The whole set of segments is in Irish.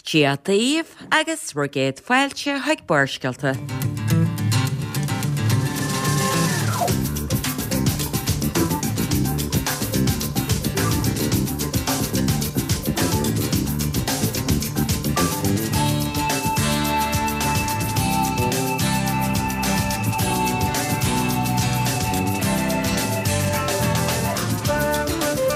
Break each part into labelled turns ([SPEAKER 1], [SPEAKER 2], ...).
[SPEAKER 1] Dia daoibh agus bhur gcéad fáilte chuig Barrscéalta.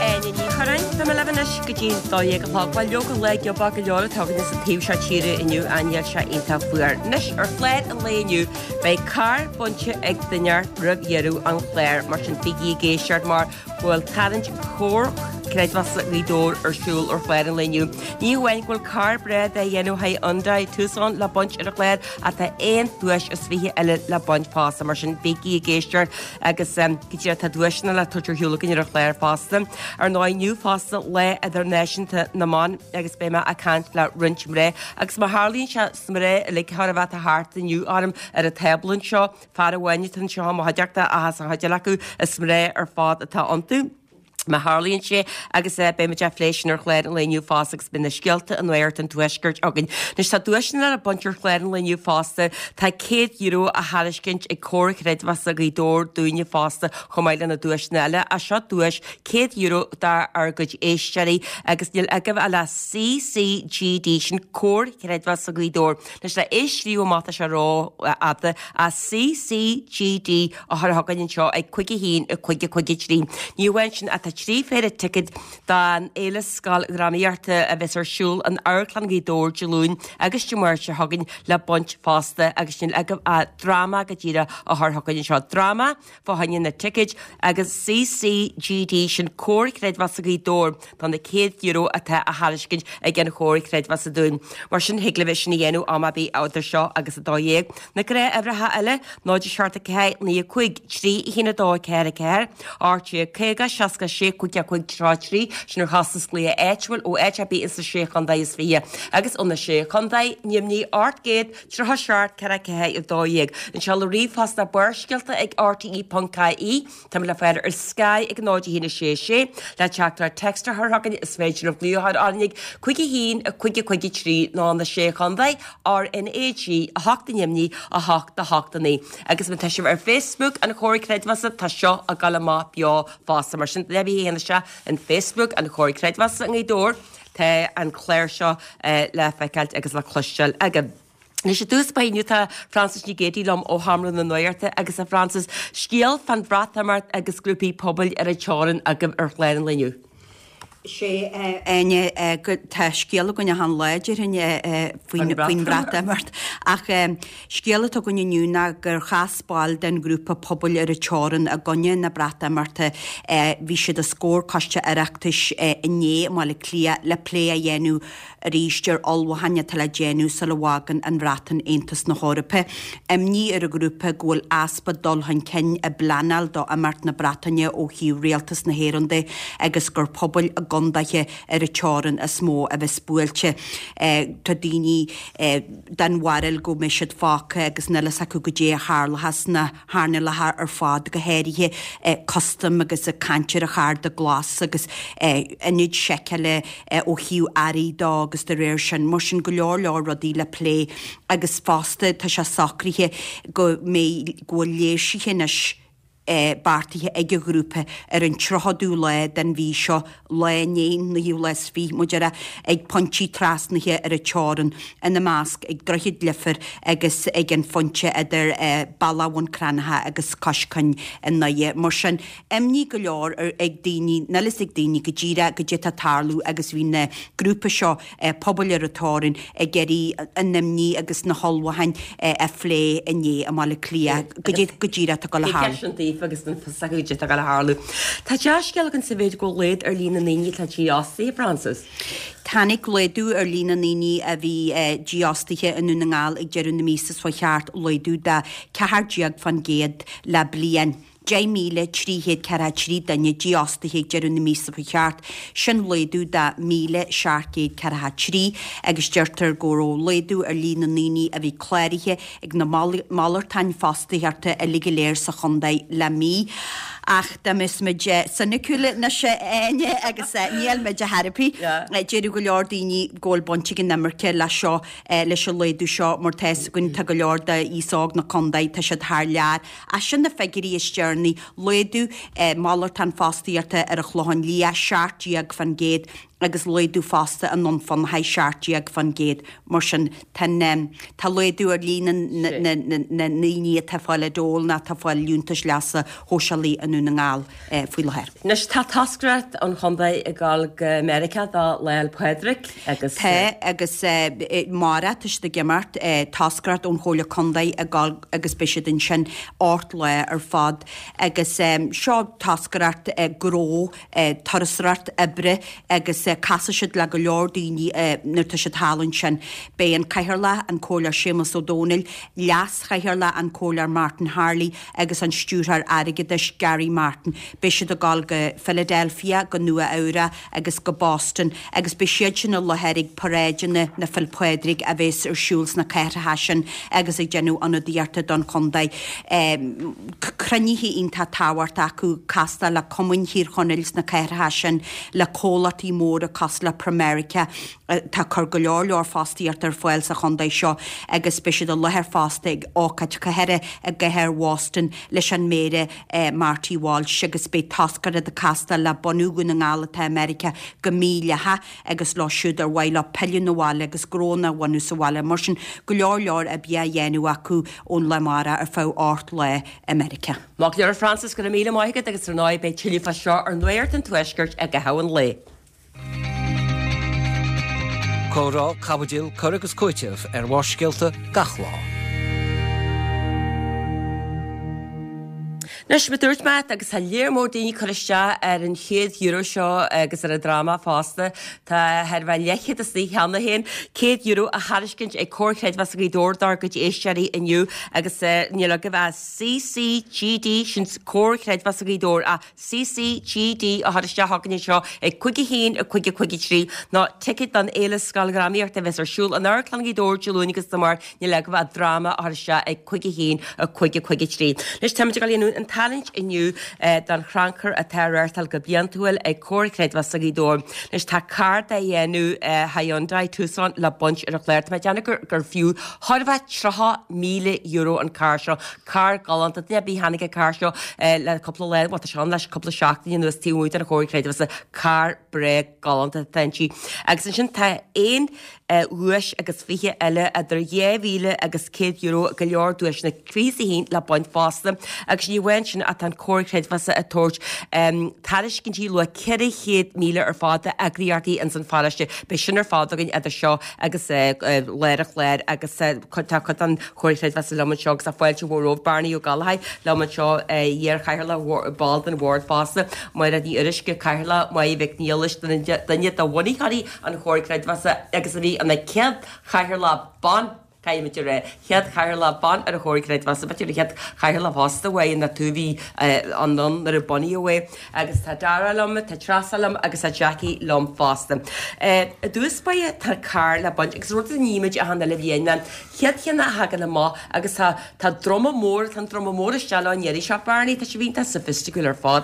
[SPEAKER 1] Áine Ní Churráin, Tá mé libh anois go dtí an 12 a chlog. Bhuel, leoga lá giobach go leor atá againne sa taobh seo tíre inniu, ach níl sé iontach fuar. Anois, ar chlár an lae inniu, beidh carr bainte ag duine roimh dheireadh an chláir, mar sin bígí ag éisteacht mar go bhfuil tarraingt Chomhar Creidmheasa Ghaoth Dobhair ar siúl ar chlár an lae inniu. Ní hamháin go bhfuil carr breá de dhéanamh Hyundai Tucson le baint ar an chlár ach tá aon duais is 20 eile le baint fosta, mar sin bígí ag éisteacht agus go díreach tá duaiseanna le tabhairt ar shiúl againn ar an chlár fosta. Ar ndóigh inniu fosta Lá Idirnáisiúnta na mBan agus beidh mé ag caint le roinnt mná agus má tharlaíonn sé is mná uilig chóir a bheith atá thart inniu orm ar an tábla anseo, fear amháin atá anseo i mo chuideachta ach as an chuid eile acu is mná ar fad atá iontu. Má tharlaíonn sé agus beidh muid á phlé sin ar chlár an lae inniu fosta agus beidh na scéalta i Nuacht an Tuaiscirt againn. Anois tá duaiseanna le baint ar chlár an lae inniu fosta. Tá €100 á thairiscint ag Comhar Creidmheasa Ghaoth Dobhair dúinne fosta chomh maith le na duaiseanna eile. Ach seo duais €100 dár gcuid éisteoirí agus níl agaibh ach le CCGD, sin Comhar Creidmheasa Ghaoth Dobhair. Anois le é a scríobh amach tá sé rófhada ach CCGD a chur chugainn anseo ag 5 1 5 5 3. Ní amháin sin ach tá 3 phéire ticéad don Fhéile Scoildrámaíochta a bheas ar siúl in Amharclann Ghaoth Dobhair Dé Luain agus Dé Máirt seo chugainn le baint fosta agus níl agaibh ach dráma go díreach a chur chugainn anseo. Dráma fá choinne na ticéid agus CCGD, sin Comhar Creidmheasa Ghaoth Dobhair do na €100 atá á thairiscint ag an Chomhar Creidmheasa dúinn. Mar sin, thig libh é sin a dhéanamh am ar bith idir seo agus 12. Na gnáthuimhreacha eile, 0 7 4 9 5 3 1 2 4 4, 18 50 66 5 5 3 3, sin ar chostas glaoch áitiúil ó áit ar bith ins na Sé Chontae is Fiche agus ó na Sé Chontae, Nimhní 800 37 4 4 12. An seoladh ríomhphost ná barrscéalta ag rte.ie. Táimid le fáil ar Sky ag 0 1 6 6. Le teachtaireacht text a chur chugainn is féidir libh glaoch orainn ag 5 1 5 5 3 nó na Sé Chontae, RnaG 8 Nimhní 8 8 9. Agus má tá sibh ar Facebook an Chomhair Creidmheasa tá seo ag dul amach beo fosta. Mar sin, le bheith isteach in Facebook an Chomhair Creidmheasa i nGaoth Dobhair. Tá an clár seo le feiceáilt agus le cloisteáil agaibh. Anois i dtús báire inniu tá Frances Nic Géadaigh liom ó Sheomra na Nuachta agus a Frances, scéal fán Bhreatimeacht agus grúpaí pobail ar an teorainn agaibh ar chlár an lae inniu.
[SPEAKER 2] Sé, Áine, tá scéal againn achan lá, déarfainn, faoin Bhreatimeacht. Ach scéal atá againn inniu ná gur chas baill den ghrúpa pobail ar an teorainn i gcoinne na Breatimeachta, bhí siad os comhair Coiste Oireachtais inné i mBaile Átha Cliath le plé a dhéanamh arís ar ullmhúcháin atá le déanamh sula bhfágann an Bhreatain Aontas na hEorpa. Imní ar an ghrúpa go bhfuil easpa dul chun cinn i bpleanáil do imeacht na Breataine ó thaobh rialtas na hÉireann de agus gur pobail i gcondaetha ar an teorainn is mó a bheas buailte. Tá daoine den bharúil go mbeidh siad fágtha agus níl fhios acu goidé a tharlóchas sna hearnálacha ar fad, go háirithe custaim agus ag caint ar an chárta glas agus ionaid seiceála ó thaobh earraí de agus de réir sin. Mar sin, go leor leor rudaí le plé agus fosta tá sé socraithe go mbeidh, go bhfuil léirsithe anois beartaithe ag an ghrúpa ar an 30ú lá den mhí seo, lá i ndiaidh an naoú lá is fiche, mar a déarfá, ag pointí trasnaithe ar an teorainn, ina measc ag Droichead Leifir agus ag an phointe idir Bealach Bhun Cranncha agus Cois Cuinn i nDoire. Mar sin, imní go leor ag daoine, níl fhios ag daoine go díreach goidé atá ag tarlú agus bhí na grúpa seo pobail ar an teorainn ag iarraidh a n-imní agus na hullmhúcháin a phlé inné i mBaile Átha Cliath goidé go díreach atá ag dul a tharlú.
[SPEAKER 1] Sin daofa agus níl fhios acu goidé atá ag dul a tharlú. Tá dea-scéal againn sa mhéid go bhfuil laghdú ar líon na ndaoine atá dífhostaithe, Frances.
[SPEAKER 2] Tháinig laghdú ar líon na ndaoine a bhí dífhostaithe i nDún na nGall ag deireadh na míosa seo chuaigh thart, laghdú de 14% le bliain. 10,343 duine dífhostaithe ag deireadh na míosa seo chuaigh thart, sin laghdú de 1,743 agus deirtear go raibh laghdú ar líon na ndaoine a bhí cláraithe ag na malartáin fostaíochta uilig go léir sa chontae le mí. Ach dá mbeadh muid soiniciúil anois a Áine agus níl muid ar chor ar bith. Déarfadh go leor daoine go bhfuil baint ag an imirce leis seo, leis an laghdú seo mar tá fhios againn tá go leor d'aos óg na contae, tá siad thar lear. Ach sin na figiúirí is deireanaí, laghdú malartán fostaíochta ar an Chlochán Liath, 17%, agus laghdú fosta i nDún Fionnachaidh, 17%. Mar sin, tá tá laghdú ar líon na ndaoine atá ag fáil dole nó atá ag fáil liúntais leasa shóisialaigh i nDún na nGall faoi láthair.
[SPEAKER 1] Anois tá toscaireacht an chontae ag dul go Meiriceá do Lá 'le Pádraig
[SPEAKER 2] agus. Tá agus amárach tá siad ag imeacht, toscaireacht ón Chomhairle Contae ag dul agus beidh siad ansin ocht lá ar fad agus seo toscaireacht gnó turasóireacht oibre agus casfaidh siad le go leor daoine nuair atá siad thall ansin. Beidh an Cathaoirleach, an Comhairleoir Séamus Ó Domhnaill, Leas-Chathaoirleach, an Comhairleoir Martin Harley agus an Stiúrthóir Airgeadais, Gary Martin. Beidh siad ag dul go Philadelphia, go Nua Eabhrac agus go Boston agus beidh siad sin i láthair ag paráideanna na Féile Pádraig a bheas ar siúl sna cathracha sin agus ag déanamh ionadaíochta don chontae. Cruinnithe iontach tábhachtach acu, castáil le cumainn Thír Chonaill sna cathracha sin, le comhlachtaí móra cosúil le Pramerica atá ag cur go leor leor fostaíochta ar fáil sa chontae seo agus beidh siad i láthair fosta ag ócáid cathartha i gcathair Bhoston leis an Méara Marty Walsh agus beidh toscaireacht ag castáil le bunú Dhún na nGall atá i Meiriceá go mídhleathach agus leo siúd ar mhaith leo pilleadh 'na bhaile agus gnónna a bhunú sa bhaile. Mar sin, go leor leor oibre á dhéanamh acu ón lá amárach ar feadh ocht lá i Meiriceá.
[SPEAKER 1] Maith go leor Frances, go raibh míle maith agat agus ar ndóigh beidh tuilleadh fá seo ar Nuacht an Tuaiscirt i gcaitheamh an lae.
[SPEAKER 3] Comhrá, caibidil, cur agus cúiteamh ar mhórscéalta gach lá.
[SPEAKER 1] Anois, mar a dúirt mé, agus tá léar mór daoine ag cur isteach ar an chéad euro seo agus ar an dráma fosta, tá thar a bheith leathchéad istigh cheana féin, €100 á thairiscint ag Comhar Creidmheasa Ghaoth Dobhair dár gcuid éisteoirí inniu agus níl agaibh ach CCGD, sin Comhar Creidmheasa Ghaoth Dobhair, ach CCGD a chur isteach chugainn anseo ag 5 1 5 5 3 nó ticéad don Fhéile Scoildhrámaíochta a bheas ar siúl in Amharclann Ghaoth Dobhair Dé Luain agus Dé Máirt níl agaibh ach dráma a chur isteach ag 5 1 5 5 3. Anois táimid ag dul a dhéanamh an tarraingt inniu don chrannchur atá á reáchtáil go bliantúil ag Comhar Creidmheasa Ghaoth Dobhair. Anois tá carr de dhéanamh Hyundai Tucson le baint ar an chlár. Tá mé ag déanamh gur gur fiú chóir a bheith €30,000 an carr seo. Carr galánta. Duine ar bith a chonaic an carr seo le cúpla lá, bhuel tá sé ann leis cúpla seachtain anuas taobh amuigh den Chomhar Creidmheasa. Carr breá galánta atá inti. Agus ansin tá aon dhuais agus 20 eile idir 2,000 agus €100, go leor duaiseanna 21 le baint fosta. Agus ní amháin sin ach tá an Comhar Creidmheasa ag tabhairt tairiscintí luach 400,000 ar fad d'eagraíochtaí ins an pharóiste. Beidh sin ar fad againn idir seo agus lár an chláir agus tá cuid den Chomhar Creidmheasa liom anseo agus tá fáilte mhór romhaibh Bearnaí Ó Gallchóir liom anseo, iar-chathaoirleach, ball den bhord fosta, Máiréad Ní Fhuaruisce, Cathaoirleach, Máire Mhic Niallais, duine de bhunaitheoirí an Chomhair Creidmheasa agus a bhí ina céad chathaoirleach ban, caithfimid a rá, chéad chathaoirleach ban ar an Chomhar Creidmheasa, b'fhéidir an chéad chathaoirleach fosta uaidh na tú a bhí ann nuair a bunaíodh é. Agus tá Dara liom, tá Treasa liom agus tá Jackie liom fosta. I dtús báire tá carr le baint agus rud a nímid achan uile bhliain ná chéad cheann a thagann amach agus tá tá druma mór, tá an druma mór isteach leo an iarraidh seo, Barney, tá sé iontach soifisticiúil ar fad.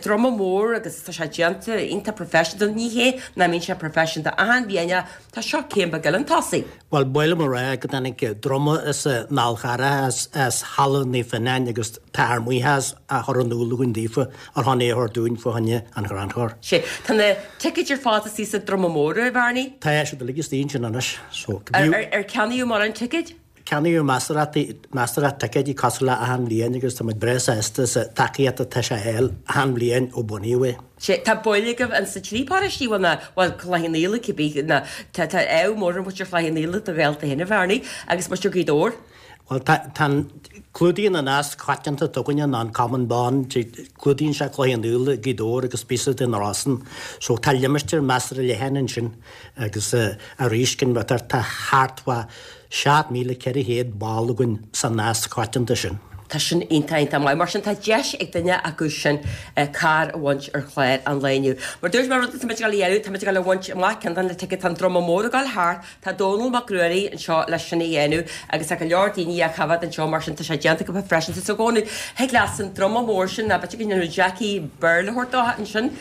[SPEAKER 1] Druma mór agus tá sé déanta iontach professional, ní hé nach mbíonn sé professional achan bhliain ach tá seo céim beag eile chun tosaigh.
[SPEAKER 4] Bhuel, ba mhaith liom a rá go dtáinig druma as an Fhál Charrach, as Halla Naomh Fionnán agus tá ár mbuíochas á chur in iúl againn daofa ar shon é a thabhairt dúinn fá choinne an chrannchuir.
[SPEAKER 1] Sea, tá na ticéid ar fad istigh sa druma mór, a Bharney?
[SPEAKER 4] Tá siad uilig istigh ansin anois. So,
[SPEAKER 1] Ar ceannaíodh mórán ticéid?
[SPEAKER 4] Ceannaíodh measartha ticéidí cosúil le achan bhliain agus tá muid breá sásta sa tacaíocht atá sé a fháil achan bhliain ó bunaíodh é.
[SPEAKER 1] Sea, tá baill agaibh in sa trí paróistí, bhuel ná, bhuel Cloich Cheann Fhaola cibé, ná, tá, tá ádh mór ar mhuintir Chloich Cheann Fhaola do ghaolta féin a Bharney, agus muintir Ghaoth Dobhair.
[SPEAKER 4] Bhuel tá, tá an, clúdaíonn an nasc coitianta atá againne ná an Common Bond, clúdaíonn sé Cloich Cheann Fhaola, Gaoth Dobhair agus píosa de na Rosann, so tá limistéar measartha leathan ansin agus arís, tá thart fá 7,400 ball againn sa nasc coitianta sin.
[SPEAKER 1] Tá sin iontach, iontach maith. Mar sin tá deis ag duine acu sin carr a bhaint ar chlár an lae inniu. Mar dúirt mé, rud atá muid ag dul a dhéanamh, tá muid ag dul a bhaint amach ceann de na ticéid, tá an druma mór ag dul thart, tá Dónal Mac Ruairí anseo leis sin a dhéanamh agus tá go leor daoine á choimhéad anseo mar sin tá sé déanta acu freisin. So a Dhónaill, thig leat an druma mór sin, ná b'fhéidir go ndéanfadh Jackie Béarla a thabhairt dó ansin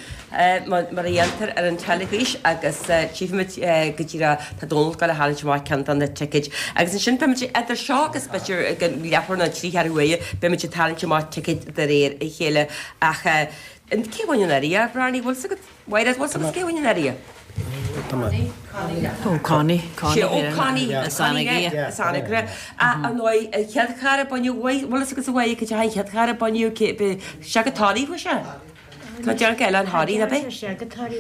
[SPEAKER 1] mar a dhéantar ar an teilifís agus tchífimid go díreach tá Dónal ag dul a tharraingt amach ceann de na ticéid. Agus ansin beimid idir seo agus b'fhéidir ag an leathuair nó trí cheathrú uaire beimid ag tarraingt amach ticéid de réir a chéile. Ach cé a bhain anuraidh, a Bhreathnaigh, bhfuil 's agat? Mhairéad, bhfuil 's agat cé a bhain anuraidh?
[SPEAKER 5] Ó Connie, Connie
[SPEAKER 1] Ó Connie, as Anagaire. As Anagaire. Ach ar ndóigh, an chéad charr a baineadh, bhfuil 'fhios agat a Mháire, cad é an chéad charr a baineadh, sé go Toraigh, bhfuil sé? Tá déanamh eile an Thoraí, ab é?
[SPEAKER 6] Sé go Toraí,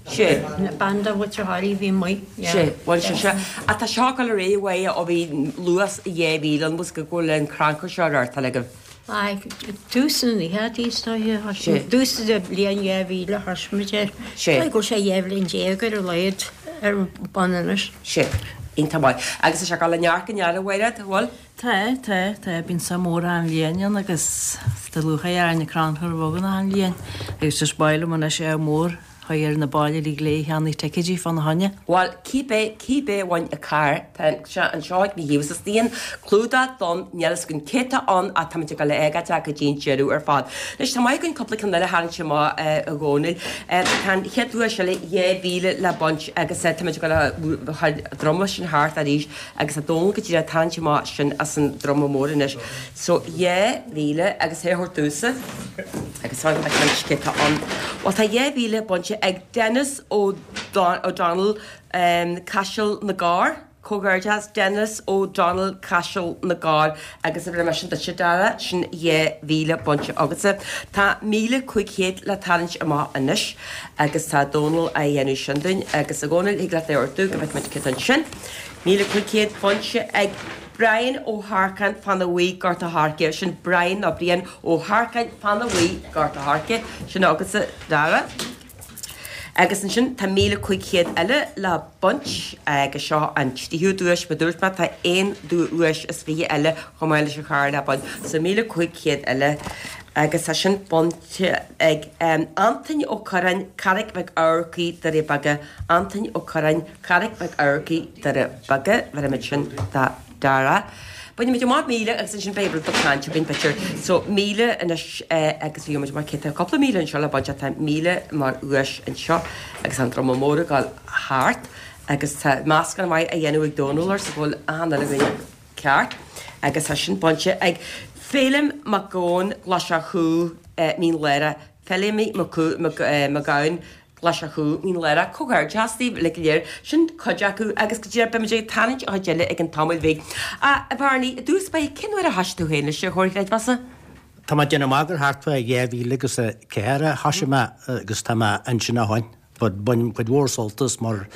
[SPEAKER 6] Sé. Bean de mhuintir Thoraí a bhí amuigh.
[SPEAKER 1] Sé, bhuel sé seo. Ach tá seo ag dul ar aghaidh uaidh ó bhí luas 2000 ann, bhfuil go bhfuil an crannchur seo á reáchtáil agaibh.
[SPEAKER 6] Aye, tús na nóchaidí is dóiche, Sé. Tús na bliain 2000 a thosaigh muid air.
[SPEAKER 1] Sé.
[SPEAKER 6] Go bhfuil sé 12 bhliain ar a laghad ar bun anois.
[SPEAKER 1] Sé. Iontach maith. Agus tá sé ag dul ó neart go neart a Mhairéad, bhfuil?
[SPEAKER 5] Tá, tá, tá, bíonn suim mór achan bhliain ann agus tá lúcháir orainn an crannchur a bheith againn achan bhliain agus just ba mhaith liom anois ádh mór a chur ar na baill uilig go léir a cheannaigh ticéidí fána choinne.
[SPEAKER 1] Bhuel, cibé, cibé a bhain an carr, tá sé anseo ag mo thaobh is an clúdach donn, níl fhios againn cé tá ann ach táimid ag dul a fhágáilt é go dtí an deireadh ar fad. Anois, tá maith againn cúpla ceann eile a tharraingt amach, a Dhónaill. Tá an chéad duais eile 2,000 le baint agus táimid ag dul a chur an druma sin thart arís Agus tá Dónal go díreach ag tarraingt amach sin as an druma mór anois. So, 2,000 agus é a thabhairt domhsa agus fan go bhfeicfimid cé tá ann. Bhuel, tá 2,000 bainte ag Denis O'Donnell, Caiseal na gCorr. Comhghairdeas, Denis O'Donnell, Caiseal na gCorr. Agus a bhreith sin duitse, Dara, sin 2,000 bainte agatsa. Tá 1,500 le tarraingt amach anois agus tá Dónal á dhéanamh sin dúinn. Agus a Dhónaill, thig leat é a ordú go bhfeicfimid cé tá ansin. 1,500 bainte ag Brian Ó hEarcáin, Fána Bhuí, Gort a' Choirce. Sin Brian nó Brian Ó hEarcáin, Fána Bhuí, Gort a' Choirce. Sin agatsa, Dara. Agus ansin tá 1,500 eile le baint agus seo an tríú duais. Mar dúirt mé tá aon duais is fiche eile chomh maith leis an charr le baint. So 1,500 eile agus tá sin bainte ag Antoin Ó Curráin, Carraig Mhic Eamharcaigh, Doirí Beaga. Antoin Ó Curráin. Carraig Mhic Eamharcaigh, Doire Beaga, bheirfimid sin do Dara. Bainfimid amach 1,000 agus ansin beidh rud beag cainte againn b'fhéidir. So 1,000 anois agus gheobhaimid amach cé tá cúpla míle anseo le baint ach tá 1,000 mar dhuais anseo agus an druma mór ag dul thart agus tá meascán maith á dhéanamh ag Dónal arsa go bhfuil achan uile dhuine ceart agus tá sin bainte ag Féilim Mac Gabhann, Glasach Chú, Mín Lárach, Féilimí Mac Gabhann, Glasach Chú, Mín Lárach, Comhghairdeas daoibh uilig go léir. Sin cuid acu agus go díreach beimid ag tarraingt an chuid eile ag an tamall bhig. A Bhearnaí, i dtús báire, cén uair a thoisigh tú féin leis an Chomhar Creidmheasa?
[SPEAKER 4] Tá mé ag déanamh amach gur thart fá 2004 a thoisigh mé agus tá mé ansin ó shoin. But bainim cuid mhór sult as mar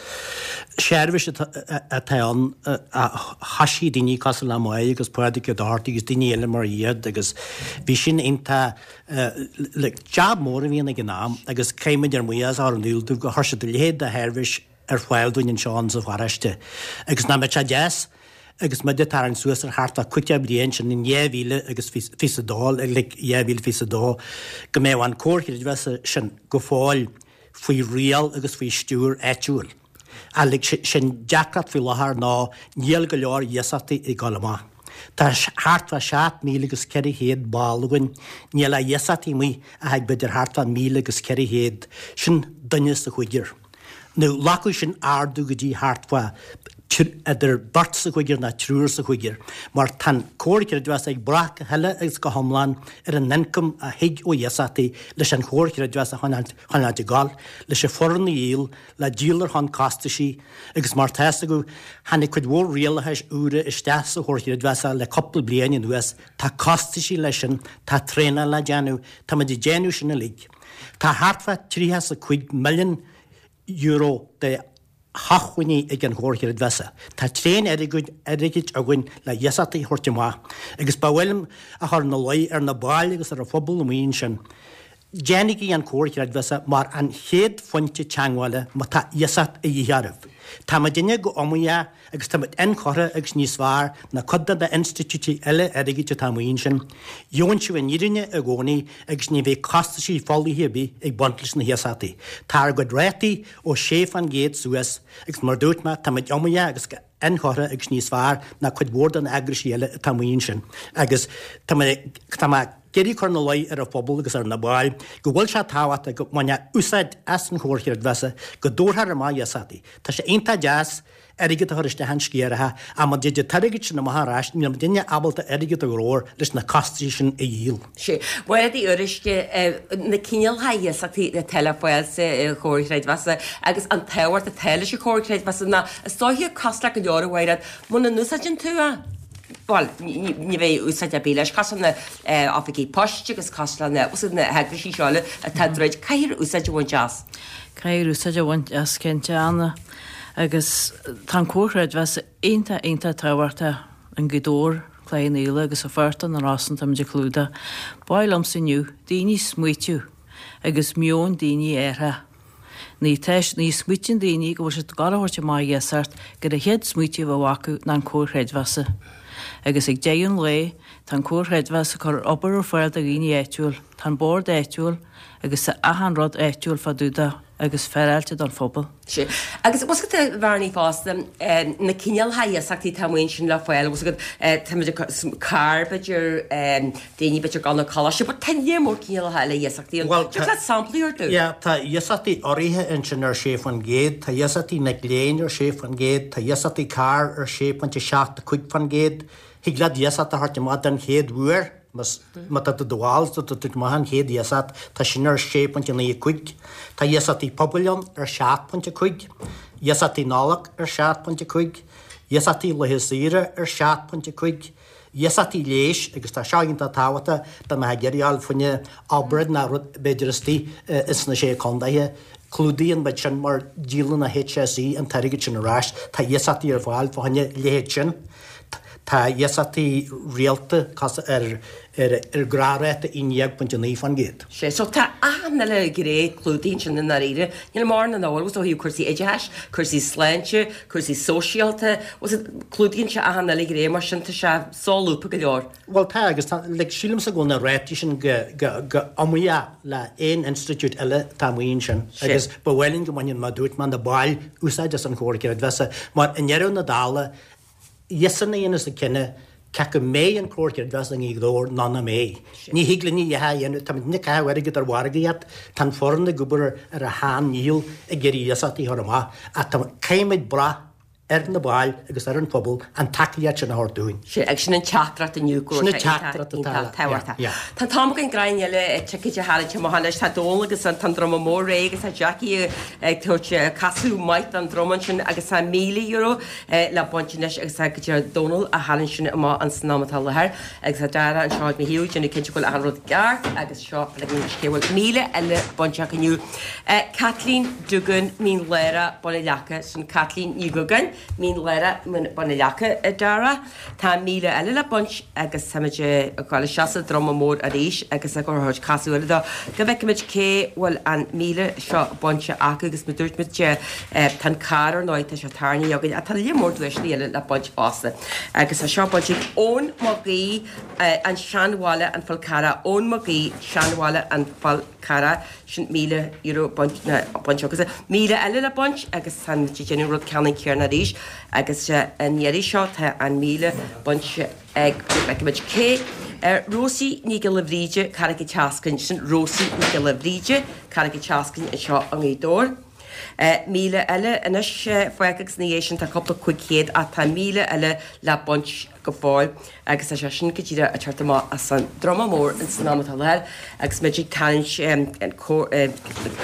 [SPEAKER 4] seirbhís atá ann a thoisigh daoine cosúil le Máire agus Pádraig Ó Dochartaigh agus daoine eile mar iad agus bhí sin iontach Like, jab mór a bhí ann ag an am agus caithfidh muid ár mbuíochas a chur in iúl dóibh gur chuir siad a leithéid de sheirbhís ar fáil dúinn anseo in sa pharóiste. Agus nach mbeadh sé deas agus muid ag tarraingt suas ar thart fá 50 bliain, sin in 2022, like 2022, go mbeadh an Comhar Creidmheasa sin go fóill faoi riail agus faoi stiúir áitiúil. Ach like, sé'n deacracht faoi láthair ná níl go leor iasachtaí ag dul amach. Tá thart fá 7,400 ball againn, níl ach iasachtaí amuigh ach ag b'fhéidir thart fá 1,400, sin duine sa chúigear. Now ghlacfadh sin ardú go dtí thart fá idir beirt sa chúigear ná triúr sa chúigear, mar tá an Comhar Creidmheasa ag brath go huile agus go hiomlán ar an ioncam a thig ó iasachtaí leis an Chomhar Creidmheasa a choinneáilt ag gabháil, leis an foireann a dhíol, le díol ar shon costaisí agus mar tá fhios agaibh, tháinig cuid mhór rialachais úra isteach sa Chomhar Chreidmheasa le cúpla bliain anuas, tá costaisí leis sin, tá traenáil le déanamh, tá muid ag déanamh sin uilig. Tá thart fá €35 milliún de shócmhainní ag an Chomhar Chreidmheasa. Tá tréan airgid againn le iasachtaí a thabhairt amach agus ba mhaith liom a chur ina luí ar na baill agus ar an phobal amuigh ansin. Déanaigí an Comhar Creidmheasa mar an chéad phointe teagmhála má tá iasacht a dhíth oraibh. Tá muidinne go iomaíoch agus tá muid inchurtha agus níos fearr ná cuid de na institiúidí eile airgid atá amuigh ansin. Gheobhann sibh an fhírinne i gcónaí agus ní bheidh costaisí folaithe ar bith ag baint leis na hiasachtaí. Tá ár gcuid rátaí ó 6% suas agus mar a dúirt mé, tá muid iomaíoch agus go. inchurtha agus níos fearr ná cuid mhór de na eagraisí eile atá amuigh ansin agus tá mé tá mé ag iarraidh cur ina luí ar an phobal agus ar na baill go bhfuil sé tábhachtach go mbainfeá úsáid as an Chomhar Chreidmheasa, go dtabharfar amach iasachtaí. Tá sé iontach deas airgead a chur isteach in sciaracha ach má dtig an t-airgead sin amach ar ais níl muidinne ábalta airgead a ghnóthú leis na costaisí sin a dhíol.
[SPEAKER 1] Sea. Mairéad Uí Fhuaruisce, na cineálacha iasachtaí atá le fáil sa Chomhar Chreidmheasa agus an tábhacht atá leis an Chomhar Creidmheasa ná is dóiche cosúil le go leor a Mhairéad, muna n-úsáideann tú é, bhuel, ní bheidh úsáid ar bith leis, cosúil le na oifigí poist agus cosúil le na, na heagraisí seo eile atá ag troid, caithfear úsáid a bhaint as.
[SPEAKER 5] Caithfear úsáid a bhaint as, cinnte, Anna. Agus tá an Comhar Creidmheasa iontach, iontach tábhachtach i nGaoth Dobhair. Cloich Cheann Fhaola agus a Phortach na Rosann táimid ag clúdach. Ba mhaith liomsa inniu daoine smaoitiú agus meon daoine a athrú. Ní tá ní smaoitíonn daoine go bhfuil siad ag gabháil a thabhairt amach iasacht gur an chéad smaoitiú a bheadh acu ná an Comhar Chreidmheasa. Agus ag deireadh an lae tá an Comhar Chreidmheasa ag cur obair ar fáil do dhaoine áitiúil, tá an bord áitiúil agus tá achan rud áitiúil fá dtaobh de agus féaráilte don phobal.
[SPEAKER 1] Sea. Agus bhfuil 's agat a Bhearnaí fosta, na cineálacha iasachtaí atá amuigh ansin le fáil, bhfuil 's agat, táimid ag, carr b'fhéidir, daoine b'fhéidir ag dul 'na coláiste, but tá lear mór cineálacha eile iasachtaí ann. Bhuel, Dtig leat samplaí a thabhairt dúinn?
[SPEAKER 4] Yeah, tá iasachtaí urraithe ansin ar 6%, tá iasachtaí mic léinn ar 6%, tá iasachtaí carr ar 6.75%, thig leat iasacht a thabhairt amach den chéad uair. Má tá tú i do bhall, tá tú ag amach an chéad iasacht, tá sin ar 6.95. Tá iasachtaí pobail ann ar 7.5, iasachtaí Nollag ar 7.5, iasachtaí laetha saoire ar 7.5, iasachtaí leighis, agus tá seo iontach tábhachtach dá mbeifeá ag iarraidh a fháil fá choinne obráid ná rud b'fhéidir istigh ins na Sé Condaethe. Clúdaíonn muid sin mar díolann an HSE an t-airgead sin ar ais. Tá iasachtaí ar fáil fá choinne leithéid sin. Tá iasachtaí rialta ar ghnáthráta 11.9%.
[SPEAKER 1] Sea, so tá achan uile ghné clúdaithe ansin i ndáiríre. Níl mórán nach bhfuil, ó thaobh cúrsaí oideachais, cúrsaí sláinte, cúrsaí sóisialta, clúdaíonn sé achan uile ghné mar sin tá sé solúbtha go leor.
[SPEAKER 4] Bhuel tá, agus tá, like, sílimse go bhfuil na rátaí sin go, go, go iomaíoch le aon institiúid eile atá amuigh ansin. Agus ba mhaith linn go mbainfeadh, mar a dúirt mé, na baill úsáid as an Chomhar Creidmheasa, mar i ndeireadh na dála, Iadsan a dhéanas an cinneadh cé acu mbeidh an Comhar Creidmheasa i nGaoth Dobhair nó nach mbeidh. Ní thig linn a dhath a dhéanamh, táimid ag caitheamh airgead ar mhargaíocht, tá an foireann ag obair ar a shean ndícheall ag iarraidh iasachtaí a chur amach ach tá, caithfimid brath ar na baill agus ar an phobal an tacaíocht sin a thabhairt dúinn.
[SPEAKER 1] Sin, agus sin an teachtaireacht inniu go
[SPEAKER 4] raibh sé iontach, iontach
[SPEAKER 1] tábhachtach. Tá an t-am againn greim eile ticéid a tharraingt amach anois. Tá Dónal agus an tá an druma mór réidh agus tá Jackie ag tabhairt casadh maith don druma ansin agus tá €1,000 le baint anois agus tá go dtí Dónal a tharraingt sin amach an san am atá i láthair agus tá Dara anseo ag mo thaobh ag déanamh cinnte go bhfuil achan rud ceart agus seo feicfimid cé bhfuil 1,000 eile bainte acu inniu. Caitlín Duggan, Mín Lárach, Bun an Leaca, sin Caitlín Ní Dhugáin, Mín Lárach, Bun an Leaca, a Dara. Tá 1,000 eile le baint agus táimid ag dul isteach sa druma mór arís agus ag tabhairt casadh eile dó go bhfeicfimid cé bhfuil an 1,000 seo bainte acu agus mar a dúirt muid tá an carr ar ndóigh tá sé tarraingthe againn ach tá lear mór duaiseanna eile le baint fosta agus tá seo bainte ag Eoin Mac Aoidh, an Seanbhaile an Fál Carrach, Eoin Mac Aoidh, Seanbhaile an Fál Carrach. Sin €1,000 bainte agus 1,000 eile le baint agus tá muid ag déanamh rud ceannann céanna arís agus an iarraidh seo tá an 1,000 bainte ag, feicfimid cé, Rósaí Ní Ghiolla Bhríde, Carraig an tSeascainn, sin Rósaí Ní Ghiolla Bhríde, Carraig an tSeascainn anseo i nGaoth Dobhair. 1,000 eile anois fágtha agus ina dhiaidh sin tá cúpla 500 ach tá 1,000 eile le baint go fóill agus tá sé sin go díreach ag teacht amach as an druma mór ins an am atá i láthair agus muid ag tarraingt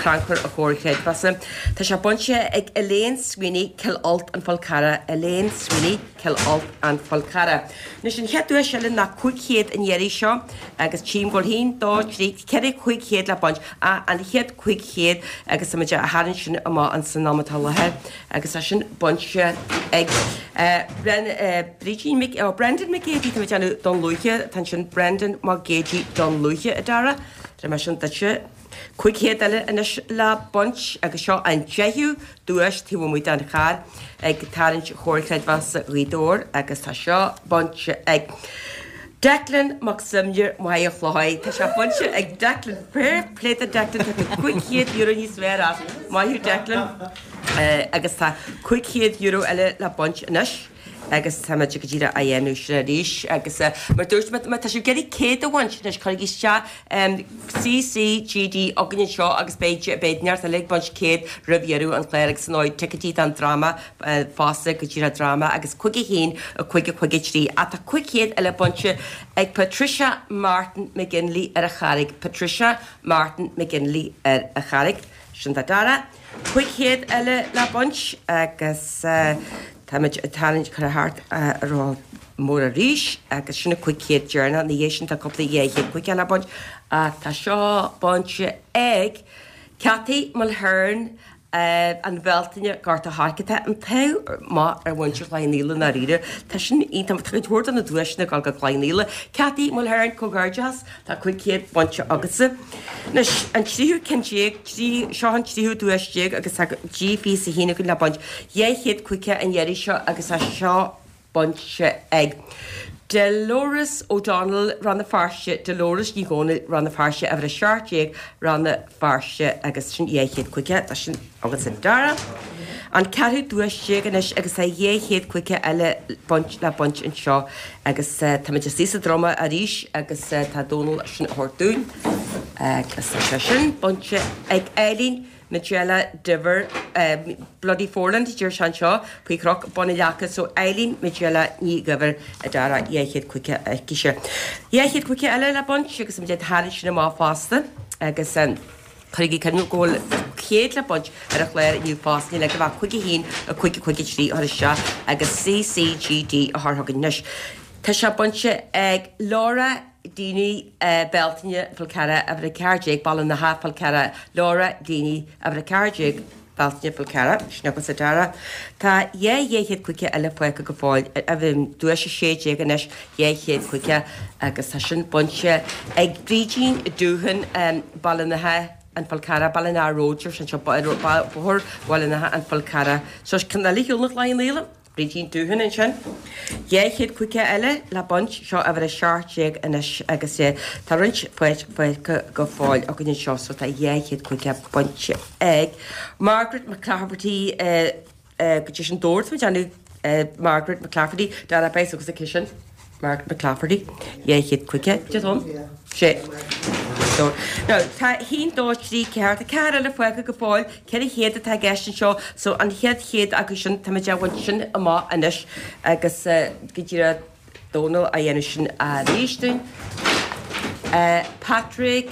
[SPEAKER 1] crannchur an Chomhair Chreidmheasa. Tá sé bainte ag Elaine Sweeney, Cill Ailt an Fál Carrach, Elaine Sweeney, Cill Ailt an Fál Carrach. Anois an chéad duais eile ná 500 an iarraidh seo agus tchím go bhfuil haon, dó, trí, 4 500 le baint, an chéad 500 agus tá muid á tharraingt sin amach ins an am atá i láthair. Agus é sin bainte ag Brídín Mc, oh, Brendan Mac Géidigh, tá mé ag déanamh Dún Lúiche, tá ansin Brendan Mac Géidigh Dún Lúiche, a Dara. Tabharfaidh mé sin duitse. 500 eile anois le baint agus seo an deichiú duais taobh amuigh den charr ag tarraingt Chomhar Creidmheasa Ghaoth Dobhair agus tá seo bainte ag Declan Mac Suibhne, Machaire Chlochair. Tá sé bainte ag Declan. Fair play do Declan, tá tú €500 níos fearr as. Maith thú Declan. Agus tá €500 eile le baint anois. Agus tá muid go díreach á dhéanamh sin arís agus mar dúirt mé, má tá sibh ag iarraidh 100 a bhaint anois, cuirigí isteach CCGD againn anseo agus beidh beidh neart eile ag baint 100 roimh dheireadh an chláir agus ar ndóigh ticéidí don dráma fosta go díreach dráma agus 51 5 5 3 ach tá 500 eile bainte ag Patricia Martin McGinley ar an Charraig Patricia Martin McGinley ar an Charraig sin do Dara. 500 eile le baint agus táimid ag tarraingt curtha thart ró mór arís agus sin an 500 deireanach. Ina dhiaidh sin tá cúpla 200 caoga le baint ach tá seo bainte ag Cathy Mulhern an Bhealtaine Gort a' Choirce. Tá an t-ádh maith ar mhuintir Chloich Cheann Fhaola i ndáiríre. Tá sin iontach. Tá cuid mhór de na duaiseanna ag dul go Cloich Cheann Fhaola. Cathy Mulhern, comhghairdeachas. Tá 500 bainte agatsa. Anois, an tríú ceann déag, trí, seo an tríú duais déag agus tá G21 againn le baint. 250 an iarraidh seo agus tá seo bainte ag Dolores O'Donnell, Rann na Feirste, Dolores Ní Dhomhnaill, Rann na Feirste, uimhir 17, Rann na Feirste agus sin 250, tá sin agatsa Dara. An ceathrú duais déag anois agus tá 250 eile baint le baint anseo agus táimid istigh sa druma arís agus tá Dónal sin a thabhairt dúinn agus tá sé sin bainte ag Eileen Majella Diver Bloody Foreland deir sé anseo faoi chnoc Bun na Leaca so Eileen Majella Ní Dhuibhir a Dara 250 aici-se. 250 eile le baint agus muid ag tarraingt sin amach fosta agus Cuirigí cuimhne go bhfuil 100 le baint ar an chlár inniu fosta, níl agaibh ach 5 1 5 5 3 a chur isteach agus CCGD a chur chugainn anois. Tá sé bainte ag Laura Deeny Bealtaine Fál Carrach, uimhir 14, Baile an Átha, Fál Carrach, Laura Deeny, uimhir 14, Bealtaine Fál Carrach, sin agatsa Dara. Tá 2 250 eile fágtha go fóill, duais 16 anois, 250 agus tá sin bainte ag Brídín Dúthain, Baile an Átha, An Fál Carrach, Ballinagh Road, sin seo Bóthar Bhaile an Átha, An Fál Carrach. So ceann eile a shiúl na Cloich Cheann Fhaola. Brídín Dúthain ansin. 250 eile le baint, seo uimhir 17 anois agus tá roinnt fágtha go fóill againn anseo so tá 250 bainte ag Margaret McClafferty go dtí sin dúirt muid déanamh Margaret McClafferty Dara Beis agus aici sin Margaret McClafferty 250 de dhom. Sé. Now, tá 1, 2, 3, 4, tá ceathair eile fágtha go fóill, 400 atá i gceist anseo, so an chéad chéad acu sin, tá muid á bhaint sin amach anois agus go díreach Dónal á dhéanamh sin arís dúinn. Patrick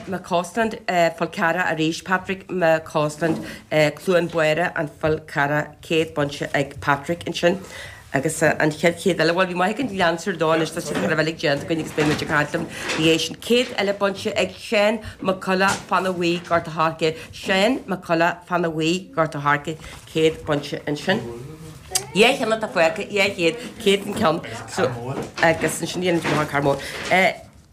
[SPEAKER 1] McCausland, Fál Carrach arís, Patrick McCausland, Cluain Báire, An Fál Carrach, 100 bainte ag Patrick ansin. Agus an chéad chéad eile, bhuel bhí maith ag an Lancer dó anois, tá siad thar a bheith uilig déanta againn agus beidh muid ag caint liom ina dhiaidh sin. Céad eile bainte ag Seán Mac Colla, Fana Bhuí, Gort a' Choirce, Seán Mac Colla, Fana Bhuí, Gort a' Choirce, céad bainte ansin. Dhá cheann atá fágtha, dhá chéad, céad an ceann, so, agus ansin dhéanfaidh muid amach an carr mór.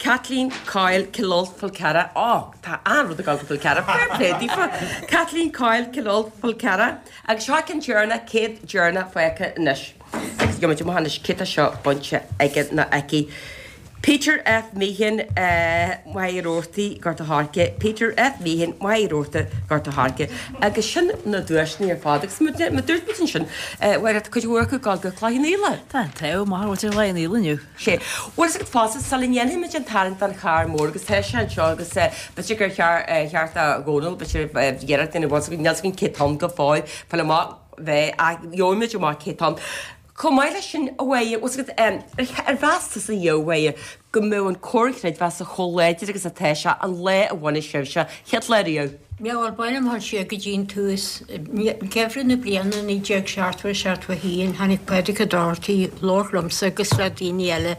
[SPEAKER 1] Kathleen Coyle, Cill Ailt, Fál Carrach, Á, tá an-rud ag dul go Fál Carrach, fair play daofa! Kathleen Coyle, Cill Ailt, Fál Carrach. Agus seo ceann deireanach, céad deireanach fágtha anois. Agus gheobhaimid amach anois cé tá seo bainte aige nó aici. Peter F. Meehan, Machaire Rabhartaigh, Gort a' Choirce, Peter F. Meehan, Machaire Rabhartaigh, Gort a' Choirce. Agus sin na duaiseanna ar fad. Agus mar a dúirt muid ansin, bhuel, tá cuid mhór acu ag dul go Cloich Cheann Fhaola.
[SPEAKER 5] Tá an t-ádh maith ar mhuintir Chloich Cheann Fhaola inniu.
[SPEAKER 1] Sé. Bhuel, is agat fosta, sula ndéanfaidh muid an tarraingt don charr mór, agus tá sé anseo agus b'fhéidir gur cheart do Dhónal, b'fhéidir, iarracht a dhéanamh, bhuel, níl 's againn cé tá ann go fóill, fáil amach bheith, ach gheobhaidh muid amach cé tá ann. Chomh maith leis sin, a Mháire, bhfuil 's agat, ar mheas tusa a Mháire, go mbeadh an Comhar Creidmheasa chomh láidir agus atá sé an lá a bhunaigh sibhse, chéad lá riamh?
[SPEAKER 6] Bhuel, ba mhaith liom dhul siar go dtí an tús. Geimhreadh na bliana 1970, 71, tháinig Pádraig Ó Dochartaigh, labhairt liomsa agus le daoine eile,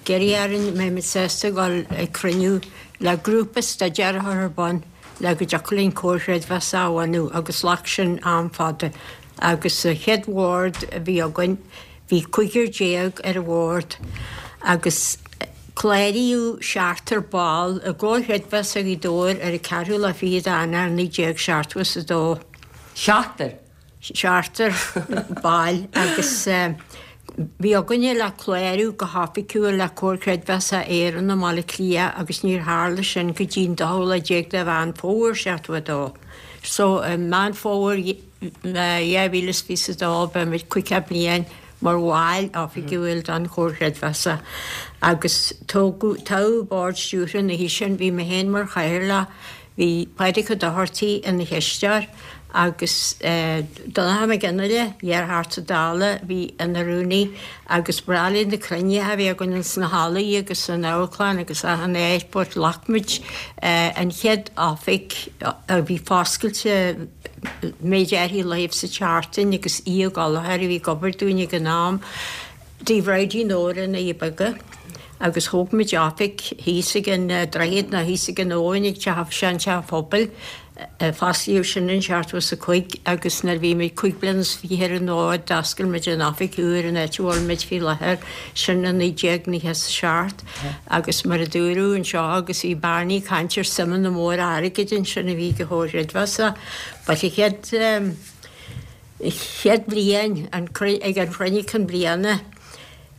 [SPEAKER 6] ag iarraidh orainn an mbeadh muid sásta dhul ag cruinniú le grúpa staidéir a chur ar bun le go dtiocfadh linn Comhar Creidmheasa a bhunú agus ghlac sin am fada agus sa chéad bhord a bhí againn, Bhí cúigear ar an bhord agus. Cláraíodh seachtar ball i gComhar Chreidmheasa Ghaoth Dobhair ar an ceathrú lá fichead d'Eanáir 1972.
[SPEAKER 1] Seachtar?
[SPEAKER 6] Seachtar baill agus bhí againne le clárú go hoifigiúil le Comhar Creidmheasa Éireann i mBaile Átha Cliath agus níor tharla sin go dtí an dóú lá déag de Mheán Fómhair 72. So i Meán Fómhair 2022 beimid 50 bliain mar bhaill oifigiúil den Chomhar Creidmheasa agus toghadh toghadh Bord Stiúrtha an oíche sin, bhí mé féin mar chathaoirleach, bhí Pádraig Ó Dochartaigh ina chisteoir agus Donnchadh Mac Fhionnghaile, iar-Theachta Dála, bhí ina rúnaí agus ba bhreá linn na cruinnithe a bhí againn ins na hallaí agus san amharclann agus achan áit but ghlac muid an chéad oifig a bhí foscailte méid áirithe laethibh sa tseachtain agus Aodh Ó Gallchóir a bhí ag obair dúinn ag an am, Tigh Bhridie Nóra i nDoirí Beaga agus thóg muid oifig thíos ag an droichead nó thíos ag an abhainn ag teach, sean-teach an phobail, fosclaíodh sin in 75 agus nuair a bhí muid cúig bliana is fiche ar an bhfód d'oscail muid an oifig úr in áit a bhfuil muid faoi láthair, sin i 1997 agus mar a dúradh anseo agus bhí Barney ag caint ar suimeanna móra airgid ansin a bhí ag an Chomhar Creidmheasa but an chéad chéad bhliain an ag an chruinniú cinn bliana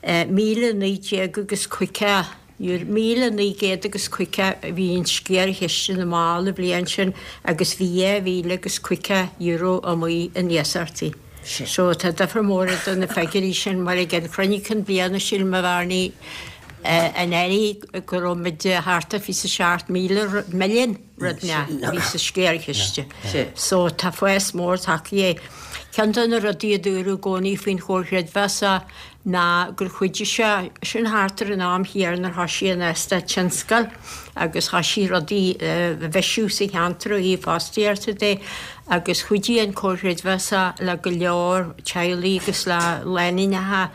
[SPEAKER 6] 1,019 agus 50 €1,900 agus 50 a bhí in sciarchiste na mball an bhliain sin agus bhí €2,000 agus €50 amuigh in iasachtaí. So tá difear mór idir na figiúirí sin mar ag an chruinniú cinn bliana sílim a Bhearnaí anuraidh go raibh muid thart ar 27,000 milliún rud inteacht a bhí sa sciarchiste. So tá fás mór tagtha. Ceann de na rudaí a dúradh i gcónaí faoin Chomhar Chreidmheasa ná gur chuidigh sé, sin thart ar an am thiar nuair thoisigh an eastát tionscail agus thoisigh rudaí a bhisiú sa cheantar ó thaobh fostaíochta de agus chuidigh an Comhar Chreidmheasa le go leor teaghlaigh agus le lánúineacha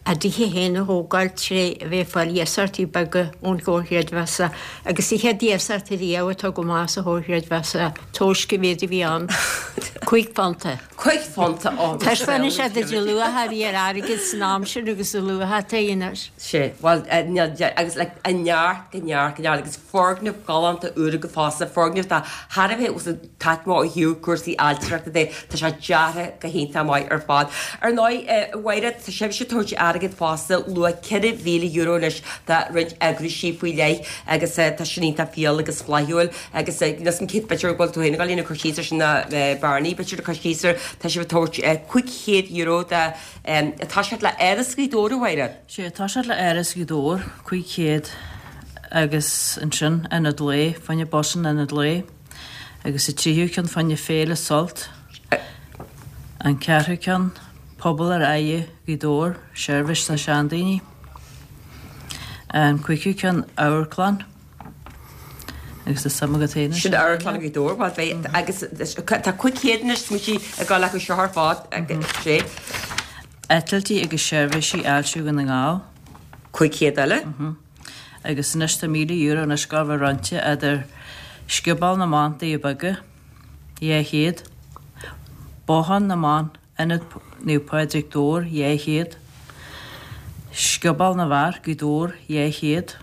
[SPEAKER 6] a dtithe féin a thógáil tré bheith ag fáil iasachtaí beaga ón Chomhar Chreidmheasa agus an chéad iasacht ariamh a tugadh amach sa Chomhar Chreidmheasa, tomhas cá mhéad a bhí ann, £5.
[SPEAKER 1] £5 ó.
[SPEAKER 6] Taispeánann sé duit an luach a bhí ar airgead san am sin agus an luach atá air anois.
[SPEAKER 1] Sea, bhuel, agus like an neart go neart go neart agus foirgneamh galánta úr agaibh fosta, foirgneamh atá thar a bheith taitneamhach ó thaobh cúrsaí ailtireachta de, tá sé deartha go hiontach maith ar fad. Ar ndóigh, a Mháire, tá sibhse ag tabhairt airgead fosta, luach €4,000 anois do roinnt eagraisí faoi leith agus tá sin iontach fial agus flaithiúil agus níl 'fhios a'm cé b'fhéidir go bhfuil tú féin ag dul a cur síos ar sin ná Barney b'fhéidir ag cur síos air, tá sibh ag tabhairt €500 do toiseacht le Áras Ghaoth Dobhair, a Mháire.
[SPEAKER 5] Sea, toiseacht le Áras Ghaoth Dobhair, 500 agus ansin Ionad Lae, fá choinne bus an Ionad Lae. Agus an tríú ceann fá choinne Féile Sult, an ceathrú ceann, Pobal ar Aghaidh Ghaoth Dobhair, seirbhís do seandaoine, an cúigiú ceann, Amharclann, agus tá suim agat féin
[SPEAKER 1] ansin. Sin Amharclann Ghaoth Dobhair, bhuel beidh, agus tá 500 anois smaointe ag dul acu seo ar fad, sé.
[SPEAKER 5] Eitiltí agus seirbhísí Fháiltiú Dhún na nGall.
[SPEAKER 1] 500 eile.
[SPEAKER 5] Agus anois tá €1,000 anois ag gabháil a bheith roinnte idir Scioból na mBan, Doirí Beaga, 200, Bothán na mBan, Ionad Naomh Pádraig Dobhair, 200, Scioból na bhFear, Gaoth Dobhair, 200,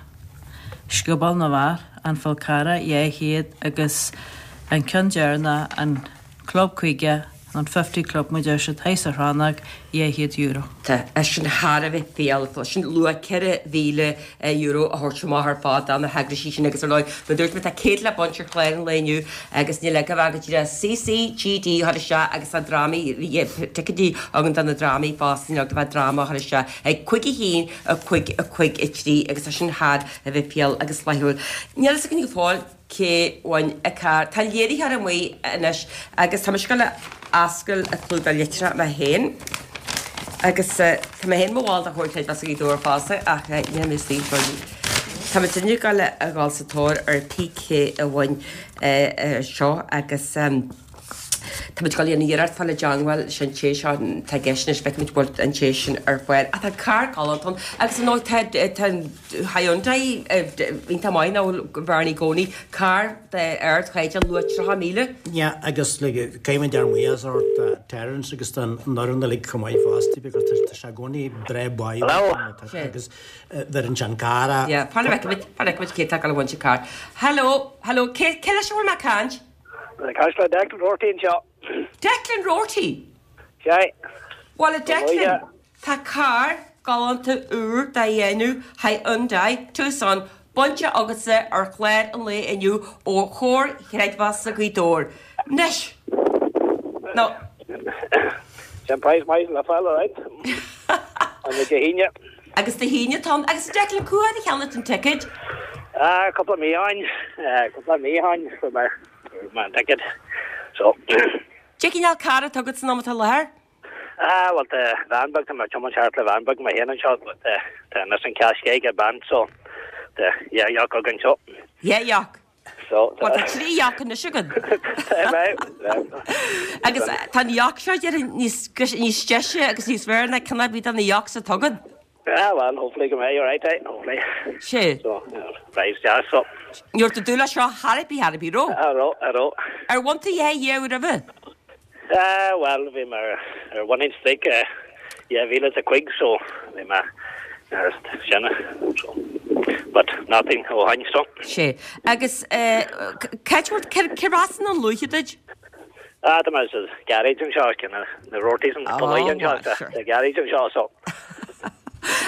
[SPEAKER 5] Scioból na bhFear, An Fál Carrach, 200 agus an ceann deireanach, an Club 50, an Fifty Club mar a deir siad, thíos sa Chrannóg, €200.
[SPEAKER 1] Tá sin thar a bheith fial, sin luach €4,000 a thabhairt amach ar fad do na heagraisí sin agus ar ndóigh, mar a dúirt mé, tá 100 le baint ar chlár an lae inniu agus níl agaibh ach go díreach CCGD a chur isteach agus tá drámaí, ticéidí againn do na drámaí fosta, níl agaibh ach dráma a chur isteach ag 5 1 5 5 3 agus tá sin thar a bheith fial agus flaithiúil. Níl fhios againn go fóill. cé bhain an carr. Tá léiritheoir amuigh anois agus tá mise ag dul a oscailt an clúdach litreach mé féin agus tá mé féin mo bhall de Chomhar Creidmheasa Ghaoth Dobhair fosta ach níl mé istigh faoi. Tá muid inniu ag dul a dhul sa tóir ar pé cé a bhain seo agus. Tá muid ag dul a dhéanamh iarracht fáil i dteangmháil leis an té seo atá i gceist anois, feicfimid bhfuil an té sin ar fáil. Ach tá carr galánta ann agus ar ndóigh tá tá an Hyundai iontach maith nach bhfuil Bhernie i gcónaí, carr d'ardchaighdeán luach 30,000.
[SPEAKER 4] Yeah agus like caithfidh muid ár mbuíochas a thabhairt do Terence agus don fhoireann uilig chomh maith fosta because tá sé i gcónaí breá báúil agus bheireann sé an carr a.
[SPEAKER 1] Yeah, fan a bhfeicfimid, fan a bhfeicfimid cé atá ag dul a bhaint an carr. Hello, hello, cé cé leis a bhfuil mé ag caint?
[SPEAKER 7] Ag caint le Declan Roarty anseo.
[SPEAKER 1] Declan Roarty?
[SPEAKER 7] Sea.
[SPEAKER 1] Bhuel, a Declan, tá carr galánta úr de dhéanamh Hyundai Tucson bainte agatsa ar chlár an lae inniu ó Chomhar Chreidmheasa Ghaoth Dobhair. Anois, nó.
[SPEAKER 7] Sin praghas maith le fáil, alright. An Dé hAoine.
[SPEAKER 1] Agus Dé hAoine atá ann. Agus a Declan, cá huair a cheannaigh tú an ticéad?
[SPEAKER 7] Ah, cúpla mí ó shin, cúpla mí ó shin fuair mé, fuair mé an ticéad. So.
[SPEAKER 1] Cé cineál carr atá agat san am atá i láthair?
[SPEAKER 7] Ah, bhuel tá veain beag, tá mé ag tiomáint thart le veain beag mé féin anseo, but tá, tá Nissan Qashqai ag bean, so tá dhá yoke againn
[SPEAKER 1] so. Dhá yoke? So, Bhuel, tá trí yoke anois agat. Agus tá an yoke seo déarfainn níos níos deise agus níos fearr ná ceann ar bith de na yokes atá agat.
[SPEAKER 7] Ah, well, hopefully go mbeidh, alright, eh, hopefully.
[SPEAKER 1] Sé.
[SPEAKER 7] So, right, yeah, so.
[SPEAKER 1] Ní raibh tú ag dúil leis seo chor ar bith, chor ar bith, raibh?
[SPEAKER 7] Cha raibh, cha raibh.
[SPEAKER 1] Ar bhain tú a dhath riamh roimhe?
[SPEAKER 7] Ah, bhuel, bhí mé ar winning streak 2005 so bhí mé ar sin, so, but nothing ó shin, so.
[SPEAKER 1] Sé. Agus cá bhfuil, cé as an luaithe duit?
[SPEAKER 7] Ah, tá mé sa garage anseo, cinn na Roartys an bunaithe anseo, sa garage anseo, so.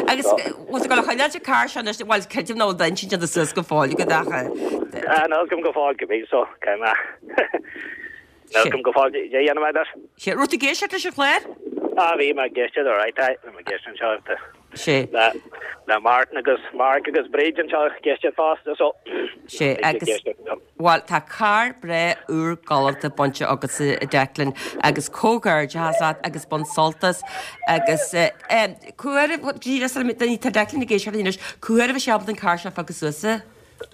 [SPEAKER 1] Agus bhfuil tú ag dul a choinneáil an carr seo anois, bhuel, creidim nach bhfuil d'intinn déanta suas go fóill agat ach.
[SPEAKER 7] Ah, níl a fhios agam go fóill, go bhí, so, caithfidh mé. Níl a fhios agam go fóill cad a dhéanfaidh mé leis.
[SPEAKER 1] Sé, raibh tú ag éisteacht leis an chlár?
[SPEAKER 7] Ah, bhí mé ag éisteacht, alright, aye, bhí mé ag éisteacht anseo le,
[SPEAKER 1] Sé.
[SPEAKER 7] le, le Martin agus Mark agus Bríd anseo ag éisteacht fosta, so.
[SPEAKER 1] Sé, agus, bhuel, tá carr breá úr galánta bainte agatsa, a Declan, agus comhghairdeachas leat agus bain sult as, agus, eh, cá huair, tá Declan ag éisteacht anois, cá huair a bheidh sé ábalta an carr seo a phiocadh suas, a?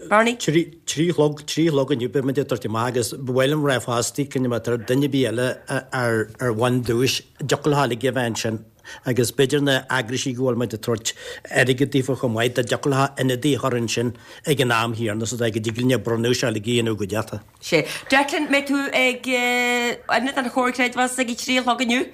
[SPEAKER 1] Barney?
[SPEAKER 4] Trí a chlog, trí a chlog inniu beidh muid ag tabhairt amach agus ba mhaith liom rá fosta cinnte má tá duine ar bith eile ar ar bhain duais, dtiocfadh leo uilig a bheith ansin agus b'fhéidir na eagraisí go bhfuil muid ag tabhairt airgead daofa chomh maith dá dtiocfadh leo ionadaí a chur ansin ag an am chéanna so go dtig linn an bronnadh seo uilig a dhéanamh i gcuideachta.
[SPEAKER 1] Sé. Declan, mbeidh tú ag ionad an Chomhar Creidmheasa ag a trí a chlog inniu?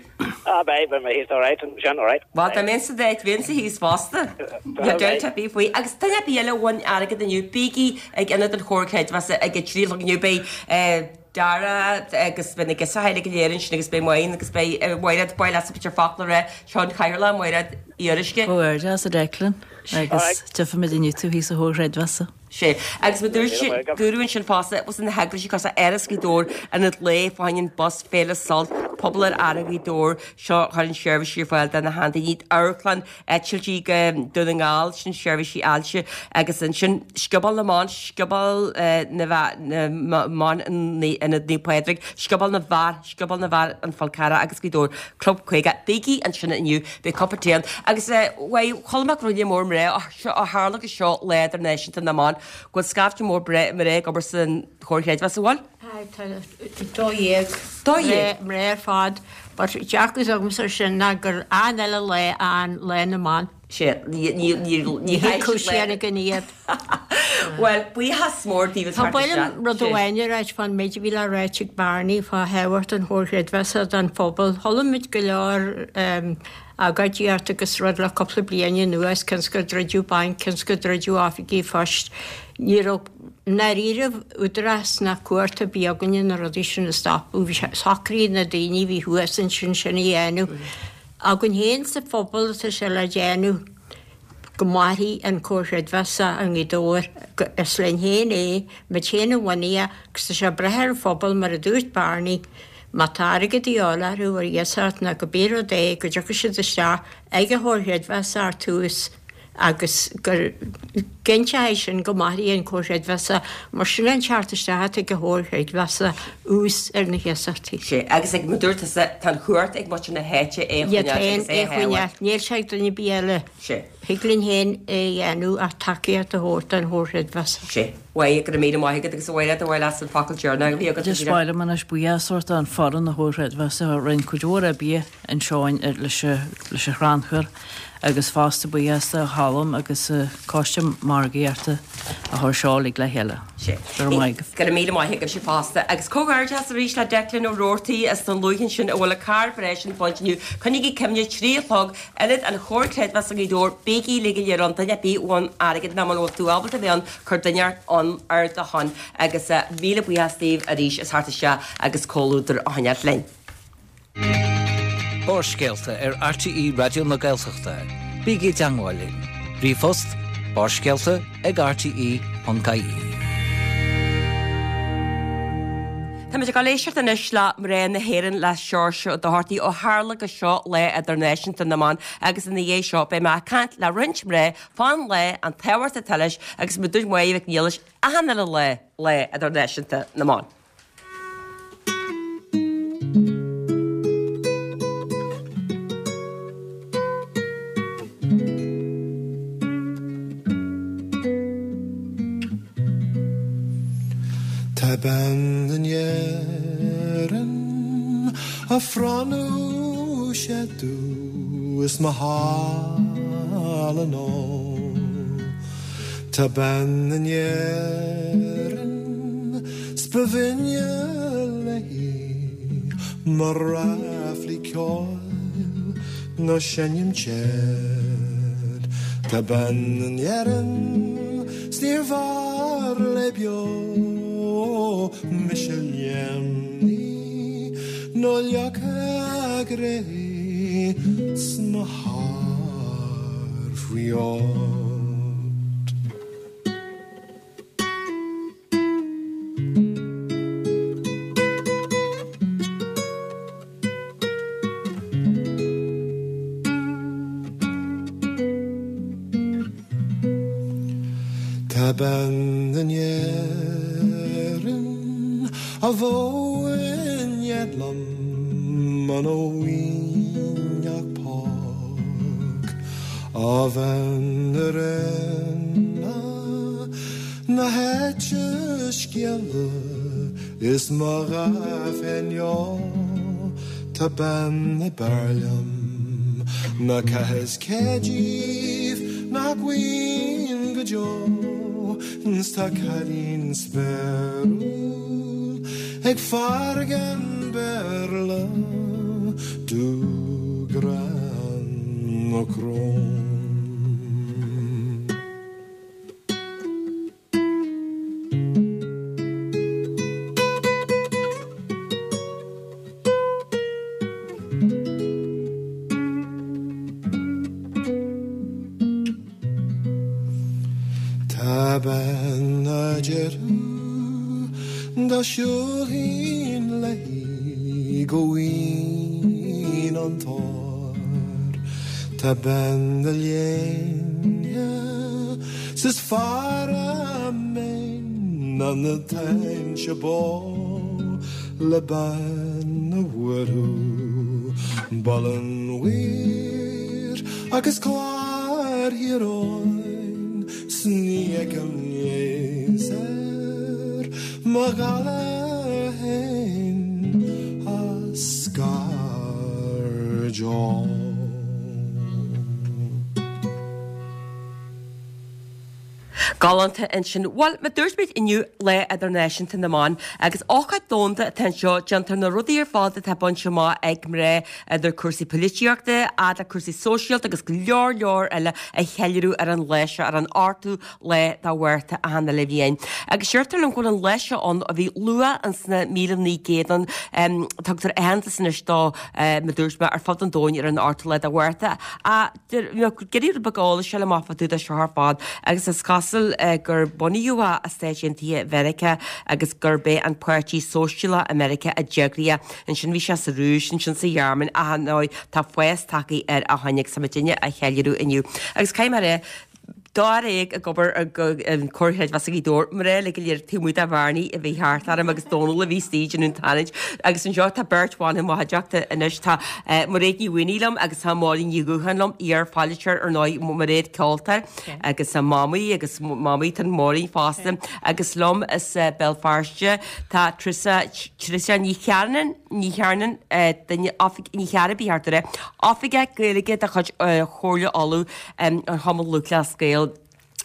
[SPEAKER 7] Ah, beidh, beidh mé thíos alright, ansin, alright.
[SPEAKER 1] Bhuel, dá mbeinn sa d'áit, bheinnse thíos fosta. Níl dabht ar bith faoi. Agus duine ar bith eile a bhain airgead inniu, bígí ag ionad an Chomhar Creidmheasa ag a trí a chlog inniu. Beidh Dara agus beidh na girseachaí go léir ansin agus beidh Máirín agus beidh Máiréad, ba mhaith leatsa b'fhéidir focal a rá, seo an Cathaoirleach, Máiréad Uí Fhuaruisce.
[SPEAKER 5] Comhghairdeas a Declan agus tchífimid inniu tú thíos sa Chomhar Creidmheasa.
[SPEAKER 1] Sé. Agus mar dúirt sé, dúradh ansin fosta, bhfuil na heaglaisí cosúil le Áras Ghaoth Dobhair, Ionad Lae, Fá choinne an Bus, Féile Sult, Pobal ar Aire Ghaoth Dobhair, seo a chuireann seirbhísí ar fáil do na seandaoine, Amharclann Eitiltí go Dún na nGall, sin seirbhísí ailse, agus ansin Scioból na mBan, Scioból na mBan in Ionad Naomh Pádraig, Scioból na bhFear, Scioból na bhFear, An Fál Carrach agus Gaoth Dobhair, Club 50. Bígí ansin inniu, beidh cupa tae ann. Agus, bhuel, chuala mé go raibh lear mór mná, Seo ó tharla gur seo Lá Idirnáisiúnta na mBan, go bhfuil scaifte mór mná ag obair san Chomhar Chreidmheasa, an bhfuil?
[SPEAKER 6] Aye, tá 12 12 mná ar fad, but dearcadh agamsa ar sin ná gur an-uile lá an Lá na mBan.
[SPEAKER 1] Sea, ní ní ní
[SPEAKER 6] ní cúisíonn againn iad.
[SPEAKER 1] Bhuel, buíochas mór daoibh as
[SPEAKER 6] Tá ba mhaith liom rud amháin a ráit fán méid a bhí le ráit ag Barney fá thábhacht an Chomhar Chreidmheasa don phobal. Chuala muid go leor agóidíocht agus rud le cúpla bliain anuas, cionn is gur druideadh banc, cionn is gur druideadh oifigí phoist. Ní raibh i ndáiríribh údarás ná cumhacht ar bith againne na rudaí sin a stopadh. Bhí sé, shocraigh na daoine a bhí thuas ansin sin a dhéanamh. Againn féin sa phobal atá sé le déanamh go mairfidh an Comhar Creidmheasa i nGaoth Dobhair. Is linn féin é, muid féin a bhunaigh é agus tá sé ag brath ar an phobal mar a dúirt Barney. Má tá airgead de dhíobháil orthu ar iasacht nó cibé rud é go dtiocfaidh siad isteach ag an Chomhar Chreidmheasa ar tús agus gur. Cinnteoidh sé sin go mairfidh an Comhar Creidmheasa mar sin é an teacht isteach atá ag an Chomhar Creidmheasa, ús ar na hiasachtaí.
[SPEAKER 1] Sea, agus ag mar dúirt tusa, tá an chumhacht ag muintir na háite é a
[SPEAKER 6] choinneáil
[SPEAKER 1] agus
[SPEAKER 6] é a shábháil. Níl sé ag duine ar bith eile.
[SPEAKER 1] Sea.
[SPEAKER 6] Thig linn féin é a dhéanamh ach tacaíocht a thabhairt don Chomhar Creidmheasa.
[SPEAKER 1] Sea. Bhuel, go raibh míle maith agat agus a Mháire, ba mhaith leat an focal deireanach a bhí agat.
[SPEAKER 5] Just ba mhaith liom anois buíochas a thabhairt don foireann an Chomhar Creidmheasa a rinne cuid mhór oibre anseo leis an chrannchur agus fosta buíochas do Cholm agus Coiste Margaíochta a chuir seo uilig le chéile.
[SPEAKER 1] Go raibh maith agaibh. Go raibh míle maith agaibhse fosta. Agus comhghairdeas arís le Declan Ó Roarty as Dún Lúiche ansin a bhfuil a carr breá sin bainte inniu. Coinnígí cuimhne, 3 a chlog, Ionad an Chomhar Creidmheasa Ghaoth Dobhair, bígí uilig go léir ann, duine ar bith a bhain airgead nó muna bhfuil tú ábalta a bheith ann, cuir duine ann ar do shon. Agus míle buíochas daoibh arís as theacht isteach agus comhluadar a choinneáilt linn.
[SPEAKER 3] Barrscéalta ar RTÉ Raidió na Gaeltachta. Bígí i dteangmháil linn. Ríomhphost, barrscéalta ag rte.ie.
[SPEAKER 1] Táimid ag dul éisteacht anois le Mná na hÉireann le Seoirse Ó Dochartaigh ó tharla gur seo Lá Idirnáisiúnta na mBan agus ina dhiaidh seo beidh mé ag caint le roinnt mná fán lá, an tábhacht atá leis agus mar a dúirt Máire Mhic Niallais achan uile lá, Lá Idirnáisiúnta na mBan.
[SPEAKER 8] Tá bean in Éirinn a phronnadh sé domh is mo shála anall. Tá bean in Éirinn 's ba bhinne léi mo ráflaí ceoil nó seinm téad. Tá bean in Éirinn 's níorbh fhearr léi beo mise léimní nó leagtha i gcré 's mo charr faoi ord. Tá bean in Éirinn a bheadh in éad liom muna bhfaighinn ach póg ó bhean a rinne na háite scéala Is mo gha féin leo Tá bean ab fhearr liom ná cá is cé díobh nach bhfaighinn go deo 'S tá cailín spéiriúil ag fear gan Béarla Dubh gránna crón. Tá bean a déarfadh dá siúlfainn léi go bhfaighinn an t-ór. Tá bean a léine 's is fearr a méin ná na táinte bó le bean a bhuailfeadh Baile an Mhaoir agus Clár Thír Eoghain 's ní fheicim leigheas ar mo ghalar féin a scairdeoidh.
[SPEAKER 1] Galánta ansin. Bhuel, mar dúirt muid inniu Lá Idirnáisiúnta na mBan agus ócáid domhanda atá anseo, déantar na rudaí ar fad atá bainte amach ag mná idir cúrsaí polaitíochta, fhad le cúrsaí sóisialta agus go leor leor eile a cheiliúradh ar an lá seo, ar an 8ú lá de Mhárta achan uile bhliain. Agus deirtear liom go bhfuil an lá seo ann ó bhí luath ins na 1900 ann, tugtar aitheantas anois dó, mar dúirt mé, ar fud an domhain ar an 8ú lá de Mhárta. Iarraidh rud beag eolais a fháil amach fá dtaobh de seo ar fad agus is cosúil gur bunaíodh é i Stáit Aontaithe Mheiriceá agus gurb é an Páirtí Sóisialach i Meiriceá a d'eagraigh é. Ansin bhí sé sa Rúis, ansin sa Ghearmáin ach ar ndóigh tá fás tagtha air ó shin agus tá muidinne á cheiliúradh inniu. Agus caithfidh mé a rá. Dáréag ag obair i gComhar Creidmheasa Ghaoth Dobhair, mná uilig go léir taobh amuigh de Bhearnaí a bhí thart orm agus Dónal a bhí istigh ag déanamh an tarraingt. Agus anseo tá beirt bhan chomh maith i dteachta anois, tá Mairéad Ní Mhaonaigh liom agus tá Máirín Ní Dhúcháin liom, iar-pholaiteoir ar ndóigh, Mairéad ceoltóir agus mamaí agus mamaí tá Máirín fosta agus liom as Béal Feirste tá Treasa Treasa Ní Chearnáin, Ní Chearnáin, duine, Ní Chearra ba cheart a rá, Oifigeach Gaeilge de chuid Chomhairle Uladh. an Chumann Lúthchleas Gael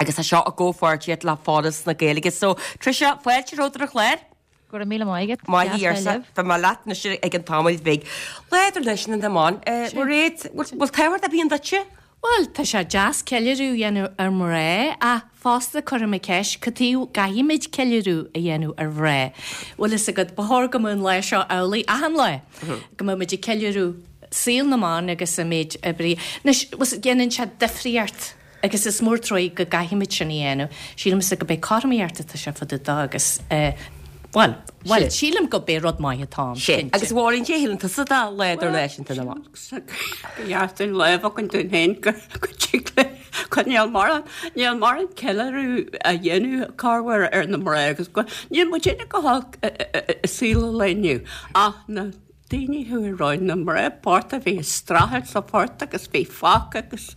[SPEAKER 1] agus tá seo i gcomhpháirtíocht le Foras na Gaeilge. So, Tricia, fáilte romhat ar an chlár.
[SPEAKER 9] Go raibh míle maith agat.
[SPEAKER 1] Maith thú arsa. Bheidh mé leat anois ag an tamall bheag. Lá Idirnáisiúnta na mBan. Mairéad, bhfuil tábhacht ar bith ann duitse?
[SPEAKER 10] Bhuel, tá sé deas ceiliúradh a dhéanamh ar mhná ach fosta cuirim an cheist, cad chuige a gcaithfimid ceiliúradh a dhéanamh ar mhná? Bhfuil fhios agat, ba chóir go mbeadh an lá seo amhlaidh achan lá, go mbeadh muid ag ceiliúradh saol na mban agus an méid oibre. Anois, déanann sé difríocht agus is mór truaí go gcaithfimid sin a dhéanamh. Sílimse go b'é cothromaíocht atá sé fá dtaobh de agus, bhuel, bhuel, sílim go b'é rud maith atá ann,
[SPEAKER 1] cinnte. Agus a Mháirín, cad é a shíleann tusa de Lá Idirnáisiúnta na mBan?
[SPEAKER 11] Ba dheas dúinn lá a bheith againn dúinn féin go dtig linn níl mórán, níl mórán ceiliúradh á dhéanamh corruair ar na mná agus go, níl muidinne go holc i saol an lae inniu ach na daoine a chuaigh romhainn, na mná bochta a bhí ag streachailt sa phort agus bhí fágtha agus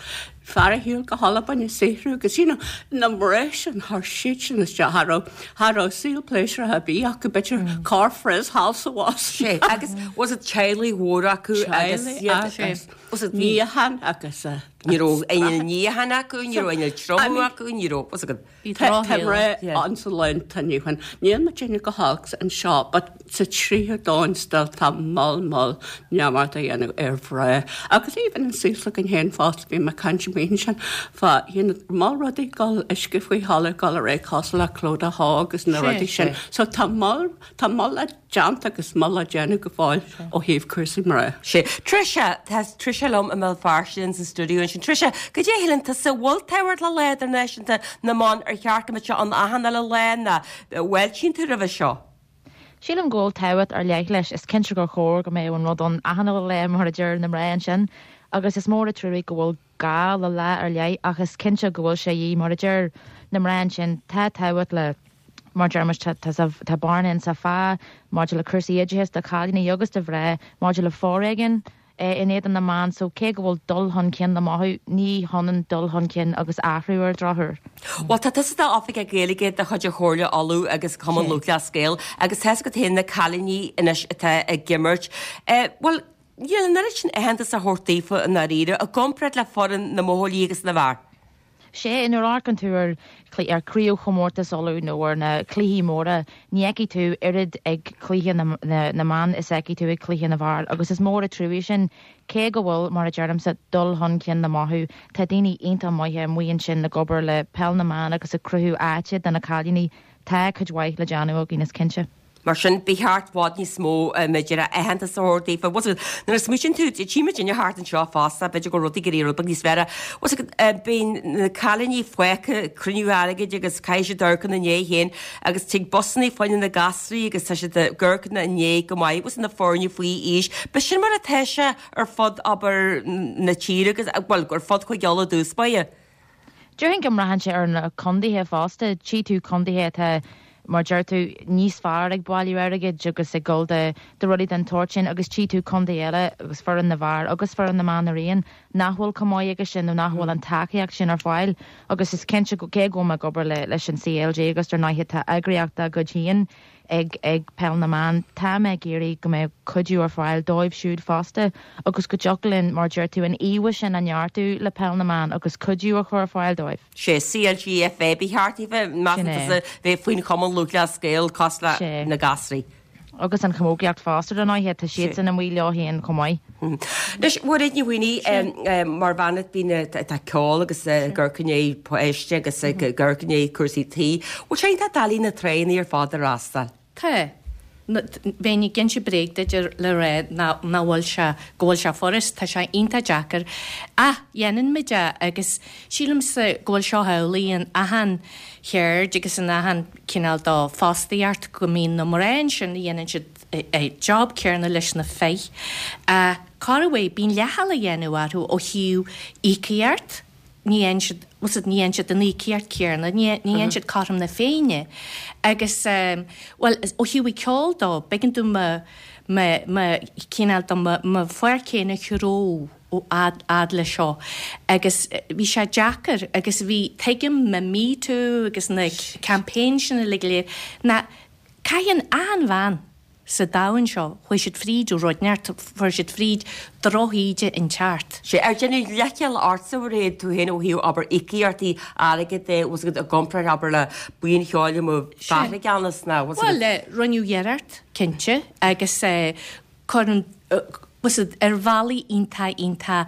[SPEAKER 11] fear ar shiúl go hAlbain ag saothrú agus you know na mná sin, chuir siad sin isteach, cha raibh, cha raibh saol pléisiúrtha ar bith acu, b'fhéidir corr-frizz thall 's abhus.
[SPEAKER 1] Sé, agus was it teaghlaigh mhóra acu agus
[SPEAKER 11] Teaghlaigh agus was it níochán agus a.
[SPEAKER 1] Ní raibh aon níochán acu, ní raibh aon triomú acu, ní raibh, was it
[SPEAKER 11] Bhí drochshaol ann sa lá atá inniu ann. Níl muidinne go holc anseo but sa tríú domhan still tá moll moll neamart á dhéanamh ar mhná. Agus even an saol s'againn féin fosta, bhí mé ag caint amuigh ansin fá you know moll rudaí ag dul uisce faoi thalamh ag dul ar aghaidh cosúil le Clodagh Hall agus na rudaí sin. So tá moll tá moll le déanta agus moll le déanamh go fóill ó thaobh cúrsaí mná.
[SPEAKER 1] Sé. Tricia, tá Tricia liom i mBéal Feirste in sa stiúideo ansin. Tricia, cad é a shíleann tusa, bhfuil tábhacht le Lá Idirnáisiúnta na mBan ar cheart go mbeadh sé ann achan uile lá nó an bhfáiltíonn tú roimhe seo?
[SPEAKER 9] Sílim go bhfuil tábhacht ar leith leis. Is cinnte gur chóir go mbeadh an rud ann achan uile lá mar a deir na mná ansin agus is mór an truaigh go bhfuil gá le lá ar leith ach is cinnte go bhfuil sé de dhíth mar a deir na mná ansin tá tábhacht le mar deir muid tá tá bearna in sa phá maidir le cúrsaí oideachais do chailíní agus do mhná maidir le foréigean in éadan na mban so cé go bhfuil dul chun cinn le mothú ní hionann dul chun cinn agus athrú ar an drochuair.
[SPEAKER 1] Bhuel tá tusa i d'oifigeach Gaeilge de chuid Chomhairle Uladh agus Cumann Lúthchleas Gael agus tá's agat féin na cailíní anois atá ag imirt. Bhuel Níl an oiread sin aitheantas á thabhairt daofa i ndáiríre, i gcomparáid le foireann na mbuachaillí agus na bhfear.
[SPEAKER 9] Sea, nuair a amharcann tú ar ar Chraobhchomórtas Uladh nó ar na cluichí móra, ní fheicfidh tú oiread ag cluiche na na mban is a fheicfidh tú ag cluiche na bhfear agus is mór an truaigh sin. Cé go bhfuil, mar a deirimse, dul chun cinn le mothú, tá daoine iontach maithe amuigh ansin ag obair le peil na mban agus ag cruthú áite do na cailíní, tá cuid mhaith le déanamh againn, is cinnte.
[SPEAKER 1] Mar sin, ba cheart i bhfad níos mó, b'fhéidir, aitheantas a thabhairt daofa. Bhfuil 's agat, nuair a smaoitíonn tú, tchí muid inniu thart anseo fosta, b'fhéidir go bhfuil rudaí ag éirí rud beag níos fearr. Bhfuil 's agat, bíonn na cailíní fágtha ag cruinniú airgid agus caithfidh siad amharc ina ndiaidh féin agus tig busannaí fá choinne na gasraí agus tá siad ag amharc ina ndiaidh go maith, bhfuil 's agat, na foirne faoi aois. B'shin mar atá sé ar fud, abair, na tíre agus, bhuel, ar fud Chúige Uladh i dtús báire.
[SPEAKER 9] Déarfainn go mbraitheann sé ar na condaetha fosta. Tchí tú condaetha atá, mar deir tú, níos fearr ag bailiú airgid agus ag dul do do rudaí den tsórt sin agus tchí tú condae eile agus foireann na bhfear agus foireann na mban araon nach bhfuil chomh maith aige sin nó nach bhfuil an tacaíocht sin ar fáil agus is cinnte go cé go bhfuil mé ag obair le leis an CLG agus dar ndóighe tá eagraíocht dá gcuid féin ag ag Peil na mBan. Tá mé ag iarraidh go mbeadh cuidiú ar fáil dóibh siúd fosta agus go dtiocfadh linn, mar deir tú, an íomha sin a neartú le Peil na mBan agus cuidiú a chur ar fáil dóibh.
[SPEAKER 1] Sé CLG FA ba cheart daofa, measann
[SPEAKER 9] Sin é.
[SPEAKER 1] tusa, bheith faoin Chumann Lúthchleas Gael cosúil le
[SPEAKER 9] Sé.
[SPEAKER 1] na gasraí.
[SPEAKER 9] Agus an chamógaíocht fosta, dar ndóighe, tá siadsan amuigh leo féin chomh maith.
[SPEAKER 1] Anois, Mhairéad Ní Mhaonaigh, mar bhean a bhíonn atá ag ceol agus ag amharc i ndiaidh páiste agus ag amharc i ndiaidh cúrsaí tí, bhfuil sé iontach doiligh na tráigheannaí ar fad a fhreastal?
[SPEAKER 10] Tá. Bheinn ag inse bréag duit le rá nach bhfuil sé, go bhfuil sé furast, tá sé iontach deacair. Ach dhéanann muid é agus sílimse go bhfuil seo amhlaidh in achan cheird agus in achan cineál de fostaíocht go mbíonn na mná ansin a dhéanann siad job céanna leis na fir. Corruair, bíonn leithcheal á dhéanamh orthu ó thaobh íocaíocht. Ní fhaigheann siad, bhfuil 's agat, ní fhaigheann siad an íocaíocht chéanna, ní fhaigheann siad cothrom na Féinne. Agus, bhuel, ó thaobh an cheoil dó, b'éigean dom mo, mo, mo chineál de, mo, mo pháirc féin a threabhadh ó fhad, fhad le seo. Agus bhí sé deacair agus bhí, tuigim na Me Too agus na campaigns sin uilig go léir, ná caitheann achan bhean, sa domhan seo, chuaigh siad fríd rud inteacht, fuair siad fríd drochíde inteacht.
[SPEAKER 1] Sea, ar deineadh leithcheal ortsa a Mhairéad, tú féin ó thaobh, abair, íocaíochtaí airgid de, bhfuil 's agat, i gcomparáid, abair, le buíon cheoil amuigh fear i gceannas, ná, bhfuil 's
[SPEAKER 10] agat. Bhuel, rinneadh iarracht, cinnte, agus cuireann, bhfuil 's agat, ar bhealaí iontach, iontach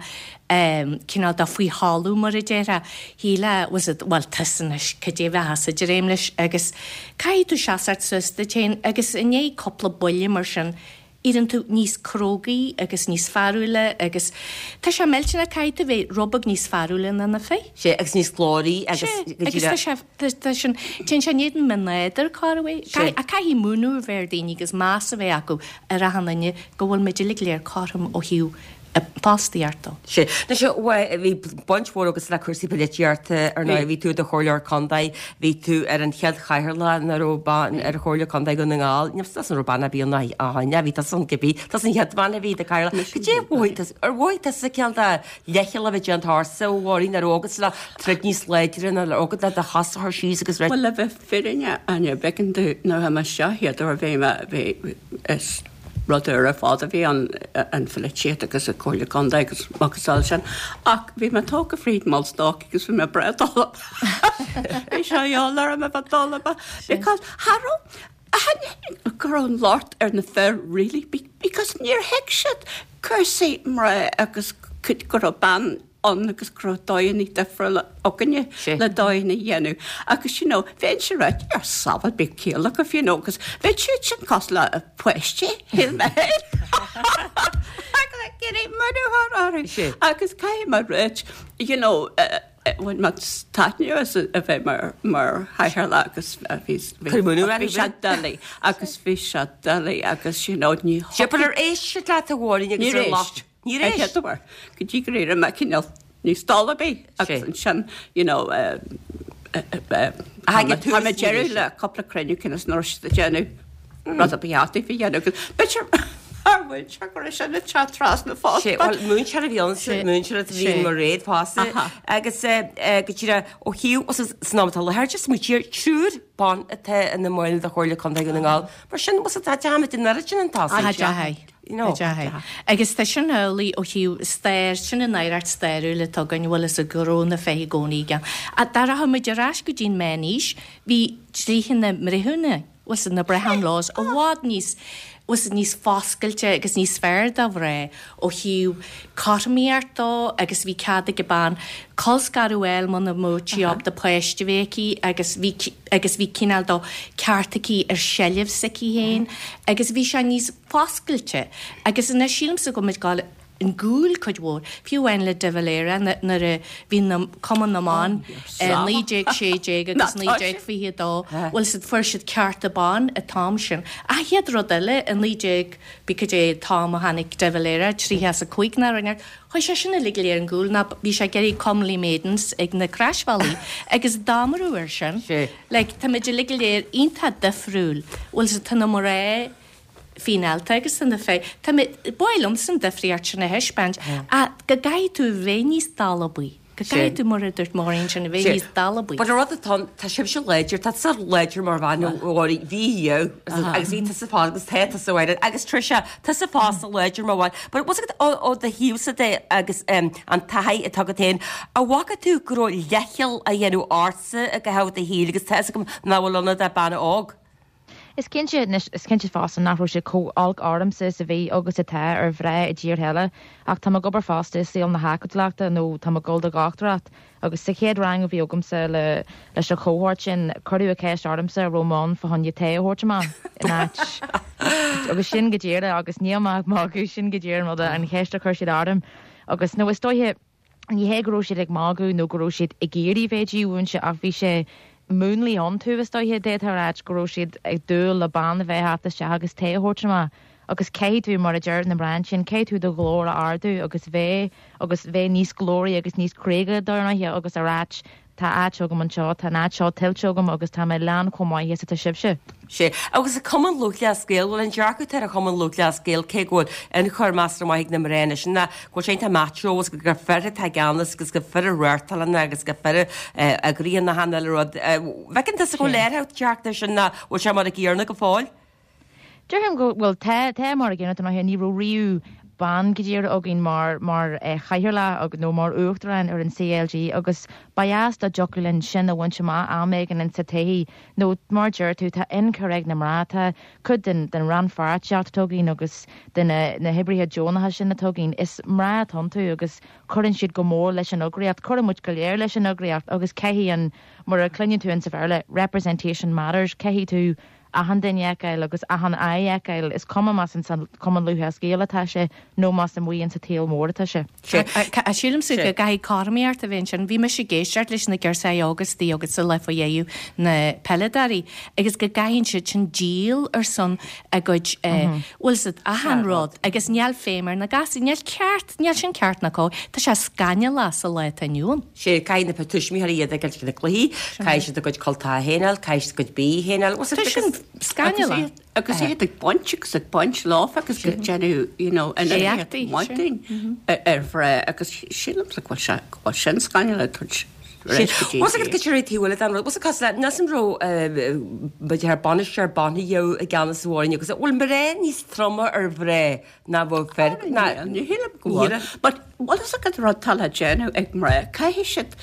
[SPEAKER 10] cineál de faoi thalamh, mar a déarfá, shílfeá, bhfuil 's agat, bhuel, tusa anois, cad é a bheifeása ag dréim leis agus caithfidh tú seasacht suas duit féin agus i ndiaidh cúpla buille mar sin, éiríonn tú níos crógaí agus níos fearúla agus tá sé millteanach, caithfidh tú bheith rud beag níos fearúla ná na fir.
[SPEAKER 1] Sea, agus níos glóraí agus
[SPEAKER 10] go díreach. Agus tá sé, tá sin, téann sé in éadan mo nádúr, corruair. Ach caithfidh múineadh a bheith ar daoine agus meas a bheith acu ar achan duine go bhfuil muid uilig go léir cothrom ó thaobh fostaíocht dó.
[SPEAKER 1] Sea. Anois, bhí baint mhór agatsa le cúrsaí polaitíochta ar ndóigh. Bhí tú i do chomhairleoir contae, bhí tú ar an chéad chathaoirleach ina raibh bean ar Chomhairle Contae Dhún na nGall. Níl 'fhios an raibh bean ar bith ann ó shin, bhí tusa an cibé, tusa an chéad bhean a bhí i do chathaoirleach. Cad é a mhothaigh tusa, ar mhothaigh tusa cineál de leithcheal a bheith déanta ortsa, a Mháirín, an raibh agatsa le troid níos láidre nó raibh agat le do chos a chur síos agus
[SPEAKER 11] Bhuel, le bheith fírinneach, Áine, b'éigean domh, nuair a bhí mé isteach chéad uair, bhí mé, bhí, is rud úr ar fad a bhí ann, an pholaitíocht agus an Chomhairle Contae agus macasamhail sin. Ach bhí mé tógtha fríd an mBullstock agus bhí mé breá dolab. Bhí sé a dhíobháil orm a bheith dolab because cha raibh, tháinig go raibh an locht ar na fir really because níor thuig siad cúrsaí mná agus go raibh bean ann agus go raibh dóigheanna difriúla againne le dóigheanna a dhéanamh agus you know bheinnse ag rá ar sábháil bíodh ciall agaibh you know agus bheadh siad sin cosúil le páistí shíl mé féin agus ag iarraidh múineadh a chur orthu agus caithfidh mé a ráit you know bhain mé taitneamh as a bheith mar mar chathaoirleach agus bhí bhí sé doiligh agus bhí sé doiligh agus you know ní
[SPEAKER 1] But ar éist siad leat a Mháirín agus ar
[SPEAKER 11] éist. Níor éist. An chéad uair, go dtí gur éirigh mé cineál níos dalbaí agus ansin, you know, tá mé deireadh le cúpla cruinniú cionn is nach raibh siad ag déanamh rud a ba cheart daofa a dhéanamh agus b'fhéidir mar mhúinteoir go raibh sin ag teacht trasna
[SPEAKER 1] fosta. Bhuel, múinteoir a bhí ann, múinteoir a bhí mar réad fosta agus go díreach ó thaobh san am atá i láthair, just smaointigh ar triúr ban atá ina mbaill de Chomhairle Contae Dhún na nGall. Mar sin, tá dearmad an oiread sin an
[SPEAKER 10] tá. You know. Agus tá sin amhlaidh ó thaobh stair, sin an oidhreacht stairiúil atá againn, bhfuil fhios a'd go raibh na fir i gcónaí i gceann. Ach dá rachadh muid ar ais go dtí an Meánaois, bhí dlíthe na mbreithiúna, bhfuil fhios a'd, na Brehon Laws, i bhfad níos, bhfuil fhios a'd, níos foscailte agus níos fearr do mhná ó thaobh cothromaíocht dó agus bhí cead ag an bean colscaradh a fháil muna mbeadh sí ábalta páiste a bheith aici agus bhí agus bhí cineál de ceart aici ar sheilbh s'aici féin agus bhí sé níos foscailte agus anois sílimse go bhfuil muid ag gabháil i gcúl cuid mhór, fiú amháin le De Valera nuair a bhí na Cumann na mBan i 1916 agus 1922, bhfuil fhios a'd, fuair siad cearta ban an t-am sin. Ach chéad rud eile i 19, b'fhéidir cad é an t-am a tháinig De Valera, 35 ná rud Chuaigh sé sin uilig go léir i gcúl ná bhí sé ag iarraidh Comely Maidens ag na croisbhealaí agus damarú air sin. Like, tá muid uilig go léir iontach difriúil. Bhfuil fhios a'd, tá na mná fíneálta agus tá na fir, tá mé, ba mhaith liomsa an difríocht sin a thaispeáint ach go gcaithfidh tú a bheith níos dalbaí. Go gcaithfidh tú, mar a dúirt Máirín sin, a bheith níos dalbaí.
[SPEAKER 1] But an rud atá ann, tá sibhse láidir, tá tusa láidir mar bhean a Mháirín, bhí agus bhí tusa fosta agus tá tusa a Mháirín agus Tricia, tusa fosta láidir mar bhean. But what's it ó ó do thaobhsa de agus an taithí atá agat féin, an bhfaca tú go raibh leithcheal á dhéanamh ortsa i gcaitheamh do shaoil agus tá fhios agam nach bhfuil ionat ach bean óg.
[SPEAKER 9] Is cinnte, anois, is cinnte fosta nach raibh sé chomh olc ormsa is a bhí agus atá ar mhná i dtíortha eile, ach tá mé ag obair fosta i saol na hacadúlachta nó tá mé ag dul do dhochtúireacht agus sa chéad rang a bhí agamsa le leis an chohórt sin, cuireadh an cheist ormsa an raibh mé ann fá choinne tae a thabhairt amach in áit agus sin go díreach agus níl mé ag magadh, sin go díreach an rud an cheist a chuir siad orm agus nó is dóiche Ní hé go raibh siad ag magadh nó go raibh siad ag iarraidh bheith dímhúinte ach bhí sé múnlaithe iontu, is dóiche, d'fhéadfá a ráit go raibh siad ag dúil le bean a bheith ag teacht isteach agus tae a thabhairt amach. Agus caithfidh tú, mar a deir na mná ansin, caithfidh tú do ghlór a ardú agus bheith, agus bheith níos glóraí agus níos cróga dar ndóighe agus a ráit, tá áit agam anseo, tá an áit seo tuillte agam agus tá mé lán chomh maith is atá sibhse.
[SPEAKER 1] Sea. Agus an Cumann Lúthchleas Gael, bhuel an dearcadh atá ar an Chumann Lúthchleas Gael, cé go bhfuil ionchur measartha maith ag na mná anois, ná go bhfuil sé iontach macho agus gur fir atá i gceannas agus gur fir a reáchtálann agus gur fir a eagraíonn achan uile rud. Bhfeiceann tusa go bhfuil léiritheacht teacht air sin nó bhfuil sé mar a gcéanna go fóill?
[SPEAKER 9] Déarfainn go bhfuil, tá, tá mar a gcéanna, dar ndóighe, ní raibh riamh bean go díreach againn mar, mar chathaoirleach nó mar uachtarán ar an CLG agus ba dheas dá dtiocfadh linn sin a bhaint amach am éigin insa todhchaí nó mar deir tú tá ionchur ag na mná, tá cuid den, den rannpháirtíocht atá againn agus de na, na hoibrithe deonacha sin atá againn, is mná atá iontu agus cuireann siad go mór leis an eagraíocht, cuireann muid go léir leis an eagraíocht agus caithfidh an, mar a chluineann tú insa Bhéarla, representation matters, caithfidh tú achan duine a fheiceáil agus achan aghaidh a fheiceáil, is cuma más ins an Cumann Lúthchleas Gael atá sé nó más amuigh insa tsaol mór atá sé.
[SPEAKER 10] Sílimse go gcaithfidh cothromaíocht a bheith ansin. Bhí mise ag éisteacht leis na girseachaí óga istigh agat sa lá faoi dheireadh, na peileadóirí, agus go gcaitheann siad sin díol ar son a gcuid, bhfuil 's agat, achan rud agus níl feidhm ar na gasúir, níl ceart, níl sin ceart ná cóir. Tá sé scannalach sa lá atá inniu ann.
[SPEAKER 1] Sea, caithfidh na tuismitheoirí iad a fhágáil ag na cluichí, caithfidh siad a gcuid cultacha féin a fháil, caithfidh siad a gcuid bídh féin a fháil.
[SPEAKER 10] Tá sin scannalach.
[SPEAKER 11] Agus iad ag baint agus ag baint leofa agus ag déanamh, you know,
[SPEAKER 10] Éachtaí,
[SPEAKER 11] maidin ar mhná agus sílimse go bhfuil sé, go bhfuil sin scannalach tabhairt
[SPEAKER 1] ar ais go dtí Bhfuil a fhios agat goidé an taobh eile den rud, bhfuil a fhios agat cosúil le, an raibh, b'fhéidir thar bainisteoir banfaidh i gceannas amháin agus bhfuil mná níos troma ar mhná ná bhfuil fir, ná,
[SPEAKER 11] Ní shílim go bhfuil. But bhfuil fhios agat rud atá le déanamh ag mná, caithfidh siad,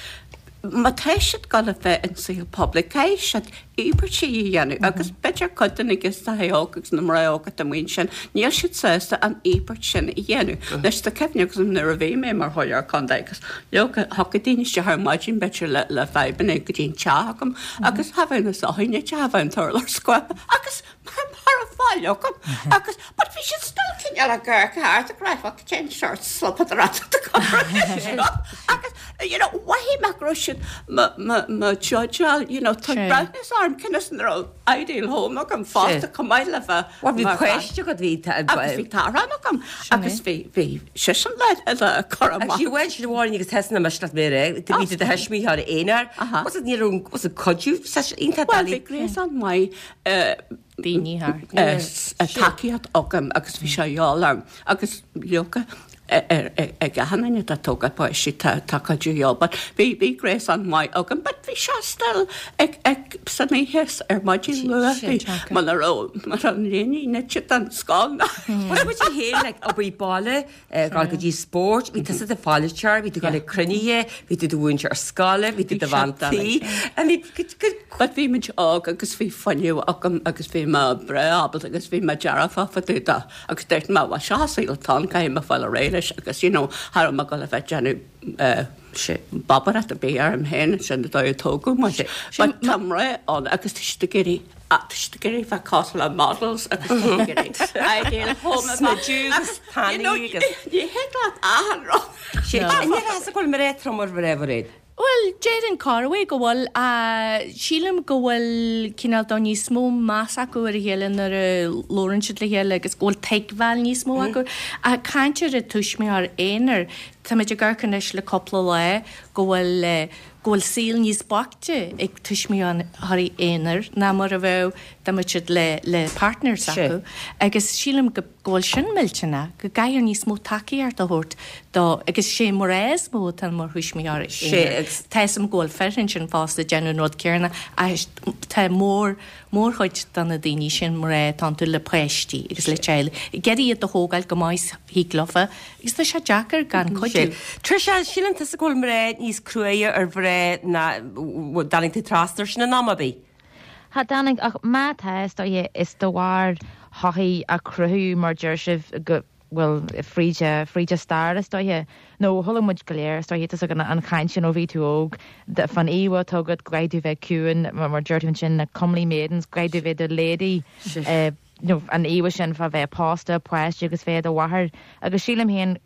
[SPEAKER 11] má tá siad ag dul a bheith in saol poiblí, caithfidh siad íobairtí a dhéanamh agus b'fhéidir cuid de na girseachaí óga agus na mná óga atá amuigh ansin, níl siad sásta an íobairt sin a dhéanamh. Anois tá cuimhne agam nuair a bhí mé mar chomhairleoir contae agus leoga thiocfadh daoine isteach ar maidin b'fhéidir le le fadhbanna go dtí an teach agam agus cha bheadh na soithí nite, cha bheadh an t-urlár scuabtha agus Cha raibh faill agam agus but bhí siad still cineál ag amharc thart ag rá fuck cén sórt slopadóireachta atá agus you know mhothaigh mé go raibh siad mo mo mo judgeáil you know tá breathnú orm cionn is an raibh ideal home agam fosta chomh maith le bheith
[SPEAKER 1] Bhuel bhí páiste agat bhí
[SPEAKER 11] agus bhí tarbh agam agus bhí bhí seisean le le cur amach.
[SPEAKER 1] Agus bhuel sin amháin agus tusa mise leat mé ré bhí tú do thuismitheoir aonair was it ní raibh was it cuidiú iontach
[SPEAKER 11] Well bhí gréasán maith
[SPEAKER 10] daoine thart.
[SPEAKER 11] tacaíocht agam agus bhí sé a dhíobháil orm agus leoga ag achan duine atá ag tógáil páistí tá cuidiú a dhíobháil but bhí bhí gréasán maith agam but bhí sé still ag ag san oíche ar maidin luath bhí muna raibh muna raibh an léine nite don scoil ná.
[SPEAKER 1] Bhuel muid féin like obair baile Ag dul go dtí spóirt, bhí tusa i do pholaiteoir, bhí tú ag dul ag cruinnithe, bhí tú do mhúinteoir scoile, bhí tú do bhean tí. I mean,
[SPEAKER 11] But bhí muid óg agus bhí fuinneamh agam agus bhí mé breá ábalta agus bhí mé dearfach fá dtaobh de agus dúirt mé, bhuel seo an saol atá ann, caithfidh mé fáil ar aghaidh leis agus you know, cha raibh mé ag dul a bheith ag déanamh bobaireacht ar bith orm féin, sin an dóigh a tógadh muid. But tá mná ann agus tá siad ag iarraidh tá siad ag iarraidh bheith cosúil le models agus tá siad ag iarraidh ideal home a bheith
[SPEAKER 1] agus you
[SPEAKER 11] know ní thig leat achan rud.
[SPEAKER 1] An ndéarfá go bhfuil mná trom ar mhná Mhairéad?
[SPEAKER 10] Bhuel, déarfainn corruair go bhfuil. Sílim go bhfuil cineál de níos mó meas acu ar a chéile nuair a labhrann siad le chéile agus go bhfuil tuigbheáil níos mó acu. Ach caint ar an tuismitheoir aonair, táimid ag amharc anois le cúpla lá go bhfuil go bhfuil saol níos boichte ag tuismitheoirí aonair ná mar a bheadh dá mbeadh siad le le partner s'acu agus sílim go go bhfuil sin millteanach, go gcaithfear níos mó tacaíocht a thabhairt do agus sé mná is mó atá mar thuismitheoirí aonair. Tá 'fhios a'm go bhfuil fir ansin fosta ag déanamh an rud céanna ach tá mór mórchuid de na daoine sin mná atá iontu le páistí agus le teaghlaigh ag iarraidh iad a thógáil go maith is thig leofa Agus tá sé deacair gan cuidiú.
[SPEAKER 1] Tricia, síleann tusa go bhfuil mná níos cruaidhe ar mhná ná, dtáinig tú trasna air sin in am ar bith?
[SPEAKER 9] Cha dtáinig, ach má tá, is dóiche, is de bharr shochaí a cruthaíodh, mar deir sibh, go, bhuel, fríd, fríd an stair, is dóiche. Nó chuala muid go léir, is dóiche, tá 'fhios agat an chaint sin ó bhí tú óg, fán íomhá atá agat, go gcaithfidh tú bheith ciúin, mar deir tú ansin, na comely maidens, go gcaithfidh tú bheith i do lady, nó an íomhá sin fá bheith pósta, páistí agus bheith i do mháthair. Agus sílim féin,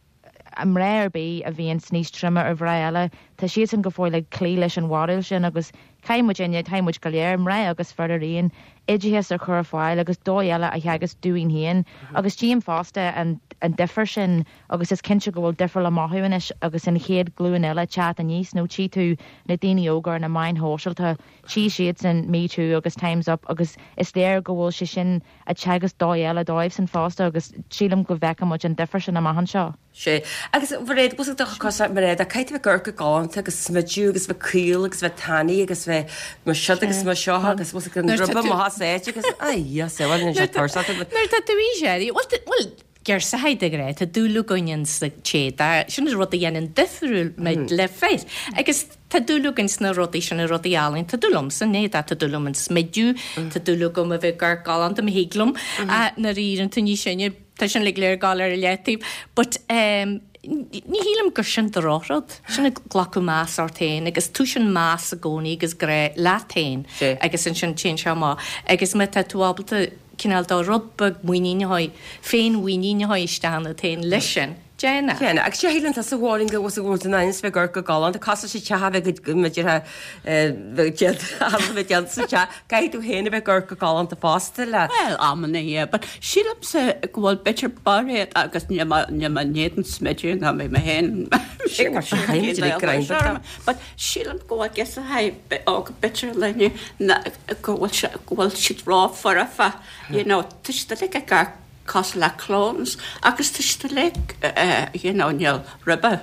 [SPEAKER 9] mná ar bith a bhíonns níos troime ar mhná eile, tá siadsan go fóill ag cloí leis an bharúil sin agus Caithfidh muidinne, caithfidh muid go léir, mná agus fir araon, oideachas a chur ar fáil agus dóigh eile a theagasc dúinn féin. Agus tchím fosta an difear sin agus is cinnte go bhfuil difear le mothú anois agus an chéad ghlúin eile ag teacht aníos nó tchí tú na daoine óga ar na meáin shóisialta, tchí siadsan Me Too agus Time's Up agus is léir go bhfuil sé sin ag teagasc dóigh eile dóibhsan fosta agus sílim go bhfeicfidh muid an difear sin amach anseo.
[SPEAKER 1] Sea. Agus Mhairéad, bhfuil do cosa, Mairéad, ach caithfidh tú bheith ag amharc go galánta agus smidiú agus bheith caol agus bheith tanaí agus bheith mar siod agus mar seo agus bhfuil an ribe amach as áit agus ai, yes, bhuel, níl sé tuirseach.
[SPEAKER 10] Nuair atá tú aois áirithe, bhuel, bhuel, girseachaí de ghnáth, tá dúil againn in sa téada, sin an rud a dhéanann difriúil muid le fir. Agus tá dúil againn sna rudaí sin, na rudaí álainn, tá dúil liomsa, ní tá dúil liom an smidiú, tá dúil agam a bheith ag amharc galánta, má thig liom, nuair a éiríonn tú níos sine, Tá sin uilig le gabháil ar a leataobh. But ehm ní shílim gur sin drochrud. Sin ag glacadh meas ort féin agus túisíonn meas i gcónaí agus grá leat féin agus ansin téann sé amach. Agus má tá tú ábalta cineál de rud beag muinín a chur, féinmhuinín a chur isteach ionat féin leis sin, déan é.
[SPEAKER 1] Déan é. Agus sé shíleann tusa a Mháirín go bhfuil tú in ainm is bheith ag amharc go galánta, cosúil sa teach a bheith go mb'fhéidir bheith déanta sa teach, caithfidh tú féin a bheith ag amharc go galánta fosta le.
[SPEAKER 11] Bhuel, amanna, yeah, but sílimse go bhfuil b'fhéidir Mairéad agus níl mé níl mé in éadan smidiú ná mé mé féin but sílim go bhfuil girseachaí óga b'fhéidir linne ná go bhfuil sé go bhfuil siad ró-fhoirfe, you know, tá siad uilig ag amharc cosúil le clones agus tá siad uilig you know níl ribe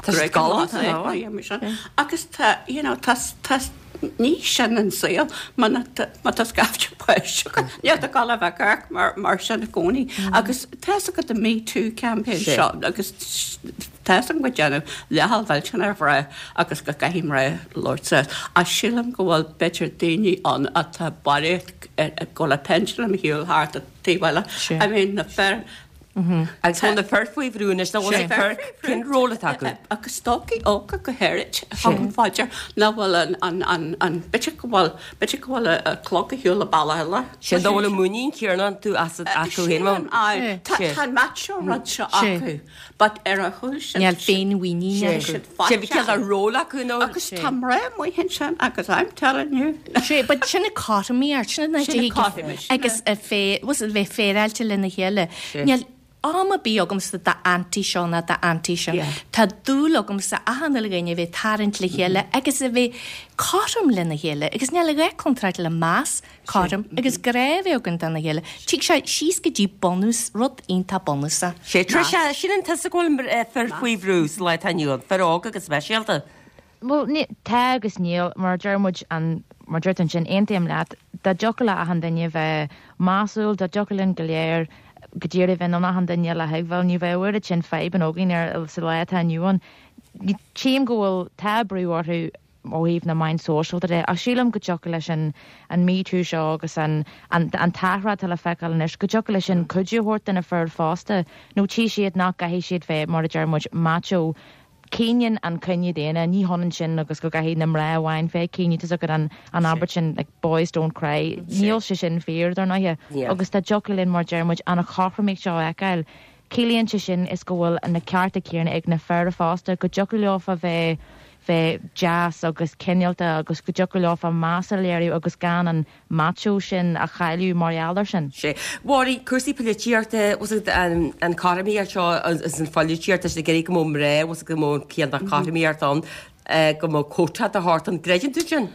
[SPEAKER 1] Tá siad galánta ná?
[SPEAKER 11] agus tá you know tá tá ní sin an saol má má tá scaifte páistí agat níl tú ag gabháil a bheith ag amharc mar mar sin i gcónaí agus tá fhios agat an Me Too campaign seo agus tá fhios agam go déanamh leathal mhillteanach ar mhná agus go gcaithfidh mná labhairt suas ach sílim go bhfuil b'fhéidir daoine ann atá buartha ag gabháil le pendulum a shiúl thart taobh eile. I mean na fir.
[SPEAKER 1] Agus bhfuil na fir faoi bhrú anois nó bhfuil na fir cén ról atá acu?
[SPEAKER 11] Agus stócaigh óga go háirid thugaim faoi dear nach bhfuil an an an an b'fhéidir go bhfuil b'fhéidir go bhfuil a clog ag siúl an bealach eile.
[SPEAKER 1] Sin dá bhfuil an muinín céanna iontu as acu féin.
[SPEAKER 11] Sílim aye. Tá tá an macho rud seo acu. But ar a chúl sin.
[SPEAKER 10] Níl féinmhuinín acu.
[SPEAKER 1] Sé bhí ciall ar ról acu nó.
[SPEAKER 11] Agus tá mná amuigh ansin agus I'm telling you.
[SPEAKER 10] Sé, but sin an cothromaíocht, sin an áit a thig agus a fé, bhfuil a bheith féaráilte lena chéile. Níl am ar bith agamsa d'auntie seo ná d'auntie sin. Tá dúil agamsa achan uile dhuine a bheith ag tarraingt le chéile agus a bheith cothrom lena chéile agus níl a dhath contráilte le meas cothrom agus grá a bheith againn dona chéile. Tig sé síos go dtí bunús, rud iontach bunúsach.
[SPEAKER 1] Sé, Tricia, síleann tusa go bhfuil fir faoi bhrú sa lá atá inniu ann, fir óga go speisialta?
[SPEAKER 9] Bhuel, tá agus níl, mar a deir muid, an, mar a deir tú ansin, aontaím leat, dá dtiocfadh le achan duine bheith measúil, dá dtiocfadh linn go léir go díreach bheith in ann achan duine eile a thuigbheáil, ní bheadh oiread sin fadhbanna againn ar, sa lá atá inniu ann. Tchím go bhfuil, tá brú orthu, ó thaobh na meáin sóisialta de, ach sílim go dtiocfadh leis an an Me Too seo agus an an an t-athrá atá le feiceáil anois, go dtiocfadh leis sin cuidiú a thabhairt do na fir fosta, nó tchí siad nach gcaithfidh siad bheith, mar a deir muid, macho. Caoineann an cine daonna, ní hionann sin agus go gcaithfidh na mná amháin bheith ag caoineadh, tá's agat an an abairt sin like boys don't cry, níl sé sin fíor, dar ndóighe, agus dá dtiocfadh linn, mar a deir muid, an chothromaíocht seo a fheiceáil, Ciallaíonn sé sin is go bhfuil na cearta céanna ag na fir fosta, go dtiocfadh leofa bheith bheith deas agus cineálta agus go dtiocfadh leofa meas a léiriú agus gan an macho sin a chailleadh mar gheall air sin.
[SPEAKER 1] Sea. Mháirín, cúrsaí polaitíochta, bhfuil 's agat an chothromaíocht seo is an pholaitíocht, tá siad ag iarraidh go mbeadh mná, bhfuil 's agat go mbeadh an cineál de chothromaíocht ann, go mbeadh quota de shórt ann. Gcreideann tú sin?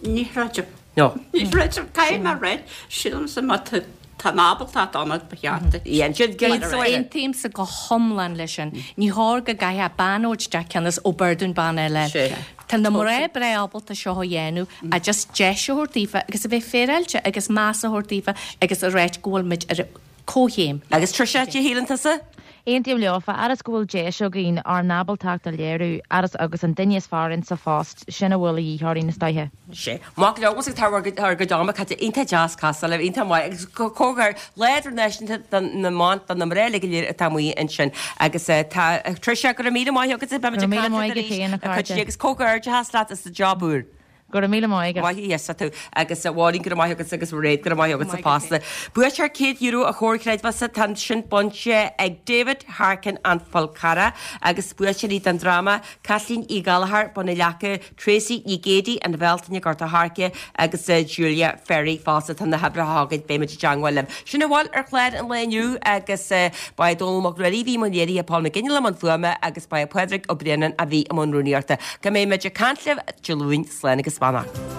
[SPEAKER 11] Ní chreidim. No. Ní chreidim. Caithfidh mé a rá, sílimse má tá tá an ábaltacht ann ba cheart duit.
[SPEAKER 1] Yeah, ansin
[SPEAKER 10] Mar a raibh. Aontaímse go hiomlán leis sin. Ní chóir go gcaithfeadh bean a thabhairt isteach cionn is ó b'fhearr dúinn bean eile.
[SPEAKER 1] Sea.
[SPEAKER 10] Tá na mná breá ábalta seo a dhéanamh ach just deis a thabhairt daofa agus a bheith féaráilte agus meas a thabhairt daofa agus a ráit go bhfuil muid ar comhchéim.
[SPEAKER 1] Agus Tricia, cad é shíleann tusa?
[SPEAKER 9] Aontaím leofa, fhad is go bhfuil deis againn ár n-ábaltacht a léiriú, fhad is agus an duine is fearr insa phost, sin a bhfuil a dhíth orainn, is dóiche.
[SPEAKER 1] Sea. Maith go leor, bhfuil 's agat tá ár gcuid ama caite iontach deas casadh libh, iontach maith agus comhghairdeas Lá Idirnáisiúnta do na mBan, do na mná uilig go léir atá amuigh ansin. Agus tá, Tricia, go raibh míle maith agat, beimid ag caint leat arís, a chuid agus comhghairdeachas leat as an job úr.
[SPEAKER 9] Go. Go raibh míle maith agat.
[SPEAKER 1] Maith a Íosa tú. Agus a Mháirín, go raibh maith agatsa agus a Mhairéad, go raibh maith agatsa fosta. Buaiteoir €100 an Chomhar Creidmheasa, tá sin bainte ag David Harkin, An Fál Carrach, agus buaiteoirí don dráma, Caitlín Uí Ghallchóir, Bun na Leaca, Tracy Ní Géidigh, An Bhealtaine, Gort a' Choirce, agus Julia Ferry fosta. Tá na huimhreacha agaibh, beidh muid i dteangmháil libh. Sin a bhfuil ar chlár an lae inniu agus ba é Dónall Mac Ruairí a bhí i mbun léirithe, Paul McGinley i mbun fuaime agus ba é Pádraig Ó Braonáin a bhí i mbun rúnaíochta. Go mbeidh muid ag caint libh Dé Luain, slán agus beannacht.